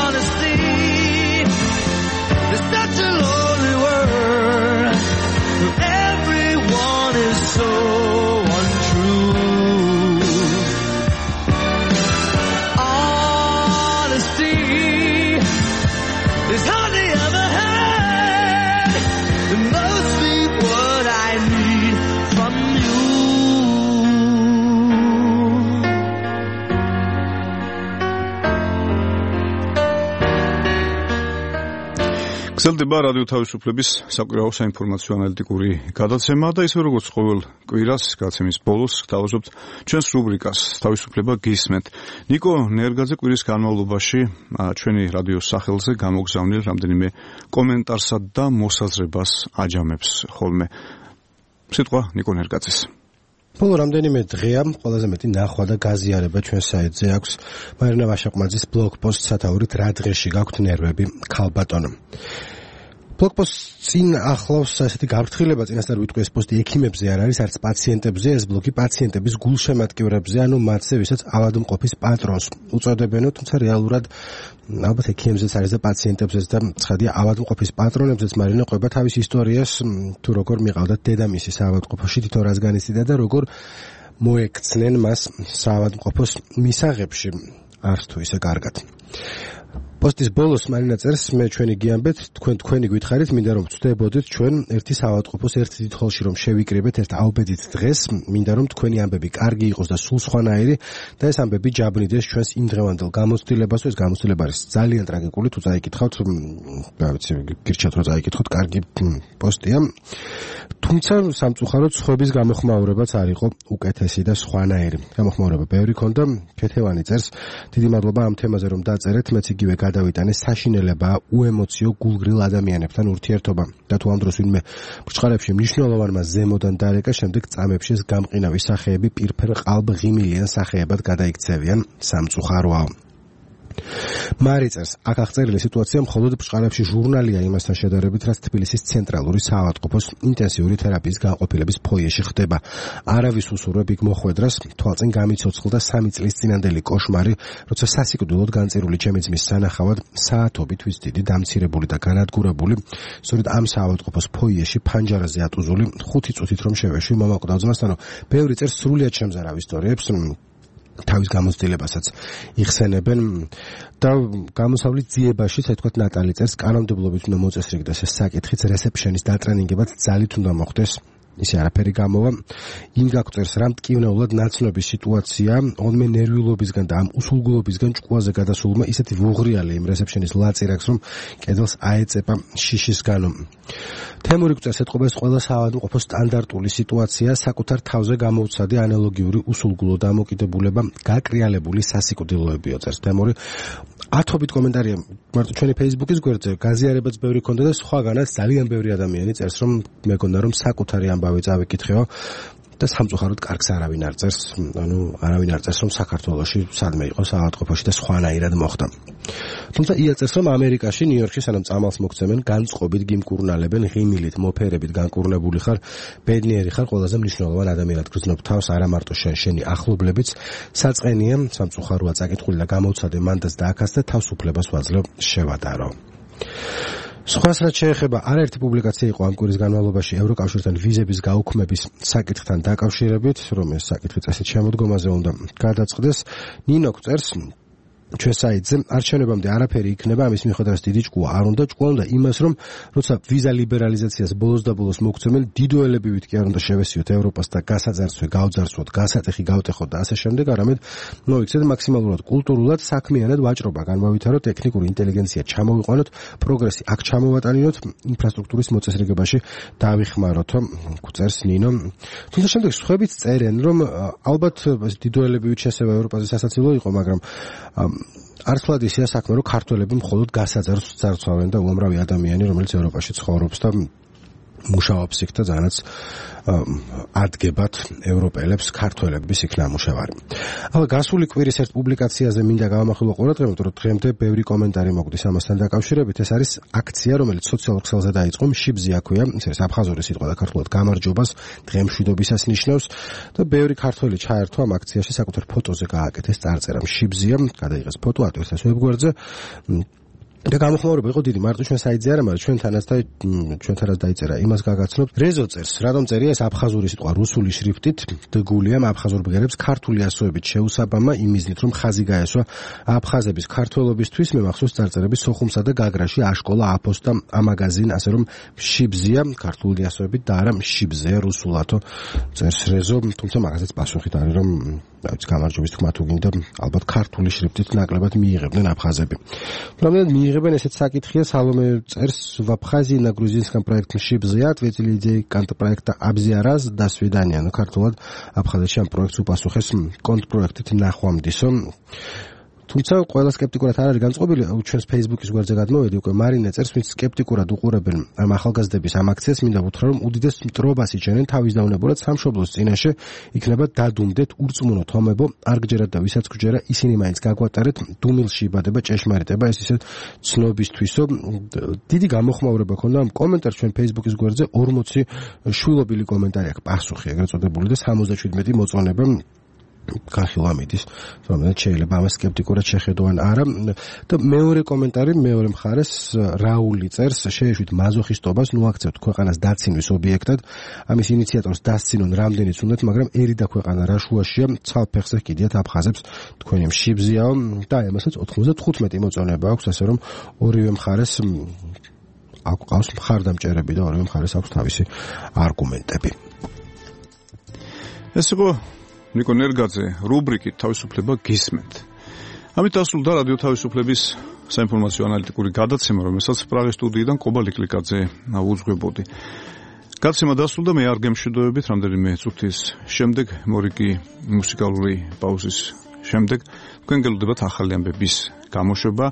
Honesty is such a lonely word. Everyone is so გრძელდება რადიო თავისუფლების საკვირაო საინფორმაციო ანალიტიკური გადაცემა და ისე როგორც ყოველ კვირას გადაცემის ბოლოს გთავაზობთ ჩვენს რუბრიკას თავისუფლება გისმენთ. ნიკო ნერგაძე კვირის განმავლობაში ჩვენი რადიოს სახელზე გამოგზავნილ რამდენიმე კომენტარსა და მოსაზრებას აჯამებს ხოლმე. სიტყვა ნიკო ნერგაძეს. ბოლო რამდენიმე დღეა ყველაზე მეტი ნახვა და გაზიარება ჩვენ საიტზე აქვს მარინა ვაშაყმაძის ბლოგპოსტ სათაურით რა დღეში გაქვთ ნერვები ქალბატონო. ბლოგპოსტ წინ ახლავს ასეთი გაფრთხილება, წინასწარ ვიტყვი ეს პოსტი ექიმებზე არ არის, არც პაციენტებზე, ეს ბლოგი პაციენტების გულშემატკივრებზე, ანუ მათზე, ვისაც ავადმყოფის პატრონს უწოდებენო, თუმცა რეალურად ალბათ ექიმებზეც არის და პაციენტებზეც და ცხადია ავადმყოფის პატრონებზეც მარინა ყვება თავის ისტორიას, თუ როგორ მიყავდა დედამისი საავადმყოფოში, თვითონ რას განიცდიდა და როგორ მოექცნენ მას საავადმყოფოს მისაღებში, არც თუ ისე კარგად. პოსტის ბოლოს მარინა წერს, მე ჩვენი გიამბეთ, თქვენ თქვენი გითხარით, მინდა რომ ვწდებოდეთ ჩვენ ერთი საავადმყოფოს ერთ დიდ ხოლში რომ შევიკრიბეთ ერთ აუბედით დღეს, მინდა რომ თქვენი ამბები კარგი იყოს და სულ სხვანაირი და ეს ამბები ჯაბნიდეს ჩვენს იმდღევანდელ გამოცდილებას, ეს გამოცდილება არის ძალიან ტრაგიკული, თუ წაიკითხავთ, რა ვიცი, გირჩათ რომ წაიკითხოთ, კარგი პოსტია. თუმცა სამწუხაროდ სხვების გამოხმაურებაც არ იყო უკეთესი და სხვანაირი. გამოხმაურება ბევრი ქონდა, ქეთევანი წერს, დიდი მადლობა ამ თემაზე რომ დაწერეთ, მეც იგივე გადავიტანე საშინელება უემოციო გულგრილ ადამიანებთან ურთიერთობა და თუ ამ დროს ვინმე ბრჭყალებში მნიშვნელოვანმა ზემოდან დარეკა, შემდეგ წამებში ეს გამყინავი სახეები პირფერ ყალბ-ღიმილიან სახეებად გადაიქცევიან, სამწუხაროა. მარი წერს, აქ აღწერილი სიტუაცია მხოლოდ ბრჭყალებში ჟურნალია იმასთან შედარებით, რაც თბილისის ცენტრალური საავადმყოფოს ინტენსიური თერაპიის განყოფილების ფოიეში ხდება. არავის უსურვებ იქ მოხვედრას, თვალწინ გამიცოცხლდა სამი წლის წინანდელი კოშმარი, როცა სასიკვდილოდ განწირული ჩემი ძმის სანახავად საათობით ვის დიდი დამცირებული და განადგურებული, სწორედ ამ საავადმყოფოს ფოიეში ფანჯარაზე ატუზული ხუთი წუთით რომ შევეშვი მომაკვდა ძმასთან, ბევრი წერს სრულიად შემზარავ ისტორიებს, თავის გამოცდილებასაც იხსენებენ და გამოსავლის ძიებაში, ასე ვთქვათ, ნატალი წერს, კანონმდებლობით უნდა მოწესრიგდეს ეს საკითხიც, რესეფშენის დატრენინგებად ძალით უნდა მოხდეს. ისე არაფერი გამოვა. იმ გაგწერს, რამ ტკივნეულად ნაცნობი სიტუაცია, ოდმე ნერვიულობისგან და ამ უსულგულობისგან ჭკუაზე გადასულმა ისეთი ვუღრიალი იმ რესეფშენის ლაწირაკს, რომ კედელს აეწება შიშისგანო. თემური გწერს, ეთყობა ეს ყველა საავადმყოფოს სტანდარტული სიტუაცია, საკუთარ თავზე გამოუცადი ანალოგიური უსულგულო დამოკიდებულება, გაკრიალებული სასიკვდილოებიო, წერს თემური. ათობით კომენტარია მარტო ჩვენი Facebook-ის გვერდზე, გაზიარებაც ბევრი ქონდა და სხვაგანაც ძალიან ბევრი ადამიანი წერს, რომ მეგონა რომ საკუთარი ამბავი წავიკითხეო და სამწუხაროდ კარგს არავინ არ წერს, ანუ არავინ არ წერს, რომ საქართველოში სადმე იყო საავადმყოფოში და სხვანაირად მოხდა. თუმცა იაწერს, რომ ამერიკაში, ნიუ-იორკში სანამ წამალს მოგცემენ, განწყობით გიმკურნალებენ, ღიმილით, მოფერებით განკურნებული ხარ, ბედნიერი ხარ, ყველაზე მნიშვნელოვან ადამიანად გრძნობ თავს, არა მარტო შენ, შენი ახლობლებიც, საწყენია, სამწუხაროა წაკითხული და გამოვცადე მანდაც და აქაც და თავისუფლებას ვაძლევ შევადარო. სხვას რაც შეეხება, არაერთი პუბლიკაცია იყო ამ კვირის განმავლობაში ევროკავშირთან ვიზების გაუქმების საკითხთან დაკავშირებით, რომ ეს საკითხი წესით შემოდგომაზე უნდა გადაწყდეს. ნინო წერს, ჩვენ საიტზე არჩევნებამდე არაფერი იქნება, ამის მიხედვითაც დიდი ჭკუა არ უნდა, ჭკუა უნდა იმას, რომ როცა ვიზა ლიბერალიზაციას ბოლოს და ბოლოს მოგცემენ, დიდოელებივით კი არ უნდა შევესიოთ ევროპას და გასაძარცვე, გავძარცვოთ, გასატეხი გავტეხოთ და ასე შემდეგ, არამედ მოიქცეთ მაქსიმალურად კულტურულად, საქმიანად ვაჭრობა განმავითაროთ, ტექნიკური ინტელიგენცია ჩამოვიყვანოთ, პროგრესი აქ ჩამოვატანინოთ, ინფრასტრუქტურის მოწესრიგებაში დავიხმაროთ, წერს ნინო. თუმცა შემდეგ სხვაებიც წერენ, რომ ალბათ დიდოელებივით შესება ევროპაზე სასაცილო იყო, მაგრამ არცლად ისეა საქმე, რომ ქართველები მხოლოდ გასაძარცვს ძარცვავენ და უამრავი ადამიანი, რომელიც ევროპაში ცხოვრობს და მუშაობს იქ და ძალიანაც ადგებათ ევროპელებს ქართველების იქ ნამუშევარი. ახლა გასული კვირის ერთ პუბლიკაციაზე მინდა გავამახვილო ყურადღება, რომ დღემდე ბევრი კომენტარი მოგვდის ამასთან დაკავშირებით. ეს არის აქცია, რომელიც სოციალურ ქსელზე დაიწყო, მშიბზია ქვია, ეს არის აფხაზური სიტყვა და ქართულად გამარჯვებას, დღემშვიდობისას ნიშნავს და ბევრი ქართველი ჩაერთვა ამ აქციაში, საკუთარ ფოტოზე გააკეთეს წარწერა მშიბზია, გადაიღეს ფოტო ატვირთეს ვებგვერდზე. და გამოხმაურება იყო დიდი, მარტო ჩვენ საიტზე არა, მაგრამ ჩვენთანაც და ჩვენთანაც დაიწერა, იმას გაგაცნობ. რეზო წერს, რატომ წერია ეს აფხაზური სიტყვა რუსული შრიფტით, დგულია აფხაზურ ბგერებს ქართული ასოებით შეუსაბამა იმიზნით, რომ ხაზი გაესვა აფხაზების ქართველობისთვის, მე მახსოვს წარწერების სოხუმსა და გაგრაში, აშკოლა, აფოსტა, ამაგაზინ, ასე რომ მშიბზია ქართული ასოებით და არა მშიბზეა რუსულათო წერს რეზო, თუმცა მაგაზეც პასუხით არის, რომ დავით გამარჯვების თქმა თუ გინდა, ალბათ ქართული შრიფტით ნაკლებად მიიღებდნენ აფხაზები. Რამდენად მიიღებენ ესეც საკითხია, სალომე წერს в Абхазии на грузинском проекте Шибзия ответили идеи контрпроекта Абзия раз до свидания. Ну ქართულად აფხაზეთში ამ პროექტს უპასუხეს კონტრპროექტით ნახვამდისო. თუმცა ყველა სკეპტიკურად არ არის განწყობილი, ჩვენს Facebook-ის გვერდზე გადმოვედი, უკვე მარინე წერს, ვინც სკეპტიკურად უყურებენ ამ ახალგაზრდების ამ აქციას, მინდა ვუთხრა, რომ უდიდეს მტრობას იჩენენ თავის დაუნებურად სამშობლოს წინაშე, იქნება დადუმდეთ, ურწმუნო თომებო, არ გჯერათ და ვისაც გჯერა, ისინი მაინც გაგვატარეთ, დუმილში იბადება ჭეშმარიტება, ეს ისე ცნობისთვისო. დიდი გამოხმაურება ქონდა ამ კომენტარს ჩვენ Facebook-ის გვერდზე, ორმოცი შვილობილი კომენტარი აქვს, პასუხი ეგრეთ წოდებული და სამოცდაშვიდმეტი მოწონება განხილვა მიდის, რომელიც შეიძლება ამას სკეპტიკურად შეხედონ არა. და მეორე კომენტარი, მეორე მხარეს რაული წერს, შეეშვით მაზოხისტობას, ნუ აქცევთ ქვეყანას დაცინვის ობიექტად, ამის ინიციატორს დასცინონ რამდენიც უნდათ, მაგრამ ერი და ქვეყანა რა შუაშია, ცალფეხზე კიდიათ აფხაზებს თქვენი მშიბზიაო და ამასაც ოთხმოცდათხუთმეტი მოწონება აქვს, ასე რომ ორივე მხარეს აქვს ყავს მხარდამჭერები და ორივე მხარეს აქვს თავისი არგუმენტები. ეს იყო ნიკო ნერგაძე რუბრიკით თავისუფლება გისმენთ. ამით დასრულდა რადიო თავისუფლების საინფორმაციო ანალიტიკური გადაცემა, რომელსაც პრაღის სტუდიიდან კობა ლიკლიკაძე უძღვებოდი. გადაცემა დასრულდა, მე არ გემშვიდობებით, რამდენიმე წუთის შემდეგ, მორიგი მუსიკალური პაუზის შემდეგ, თქვენ გელოდებათ ახალი ამბების გამოშვება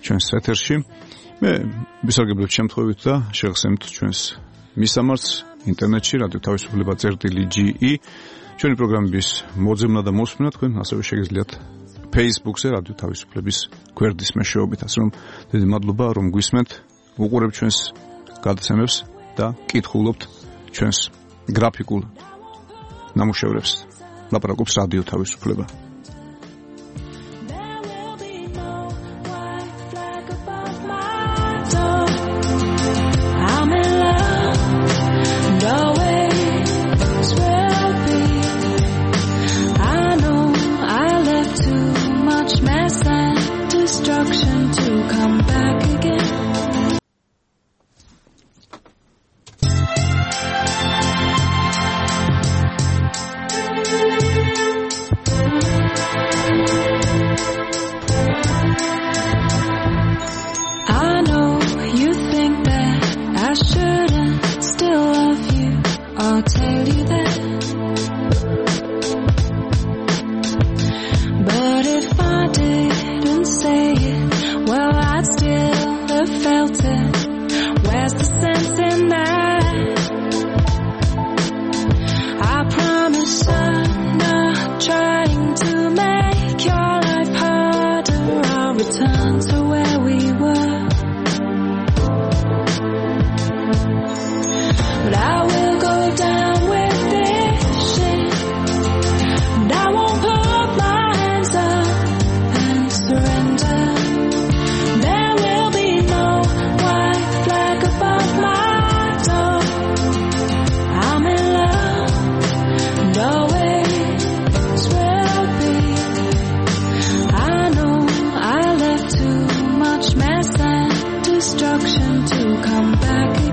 ჩვენს ეთერში. მე ვისარგებლებ შემთხვევით და შეგხსენებთ ჩვენს მისამართს ინტერნეტში რადიო თავისუფლება წერტილი ჯი ჩვენი პროგრამების მოძებნა და მოსმენა თქვენ ასევე შეგიძლიათ Facebook-ზე რადიო თავისუფლების გვერდის მეშვეობით, ასე რომ დიდი მადლობა რომ გვისმენთ, უყურებთ ჩვენს გადაცემებს და კითხულობთ ჩვენს გრაფიკულ ნამუშევრებს. ლაპარაკობს რადიო თავისუფლება. To come back again. I know you think that I shouldn't still love you. I'll tell you that. But if I didn't say it, well, I'd still have felt it. Where's the sense in that? I promise I'm not trying to make your life harder. I'll return to where we were. But I will go down with this shit. And I won't put my hands up and surrender. There will be no white flag above my door. I'm in love and always will be. I know destruction to come back again.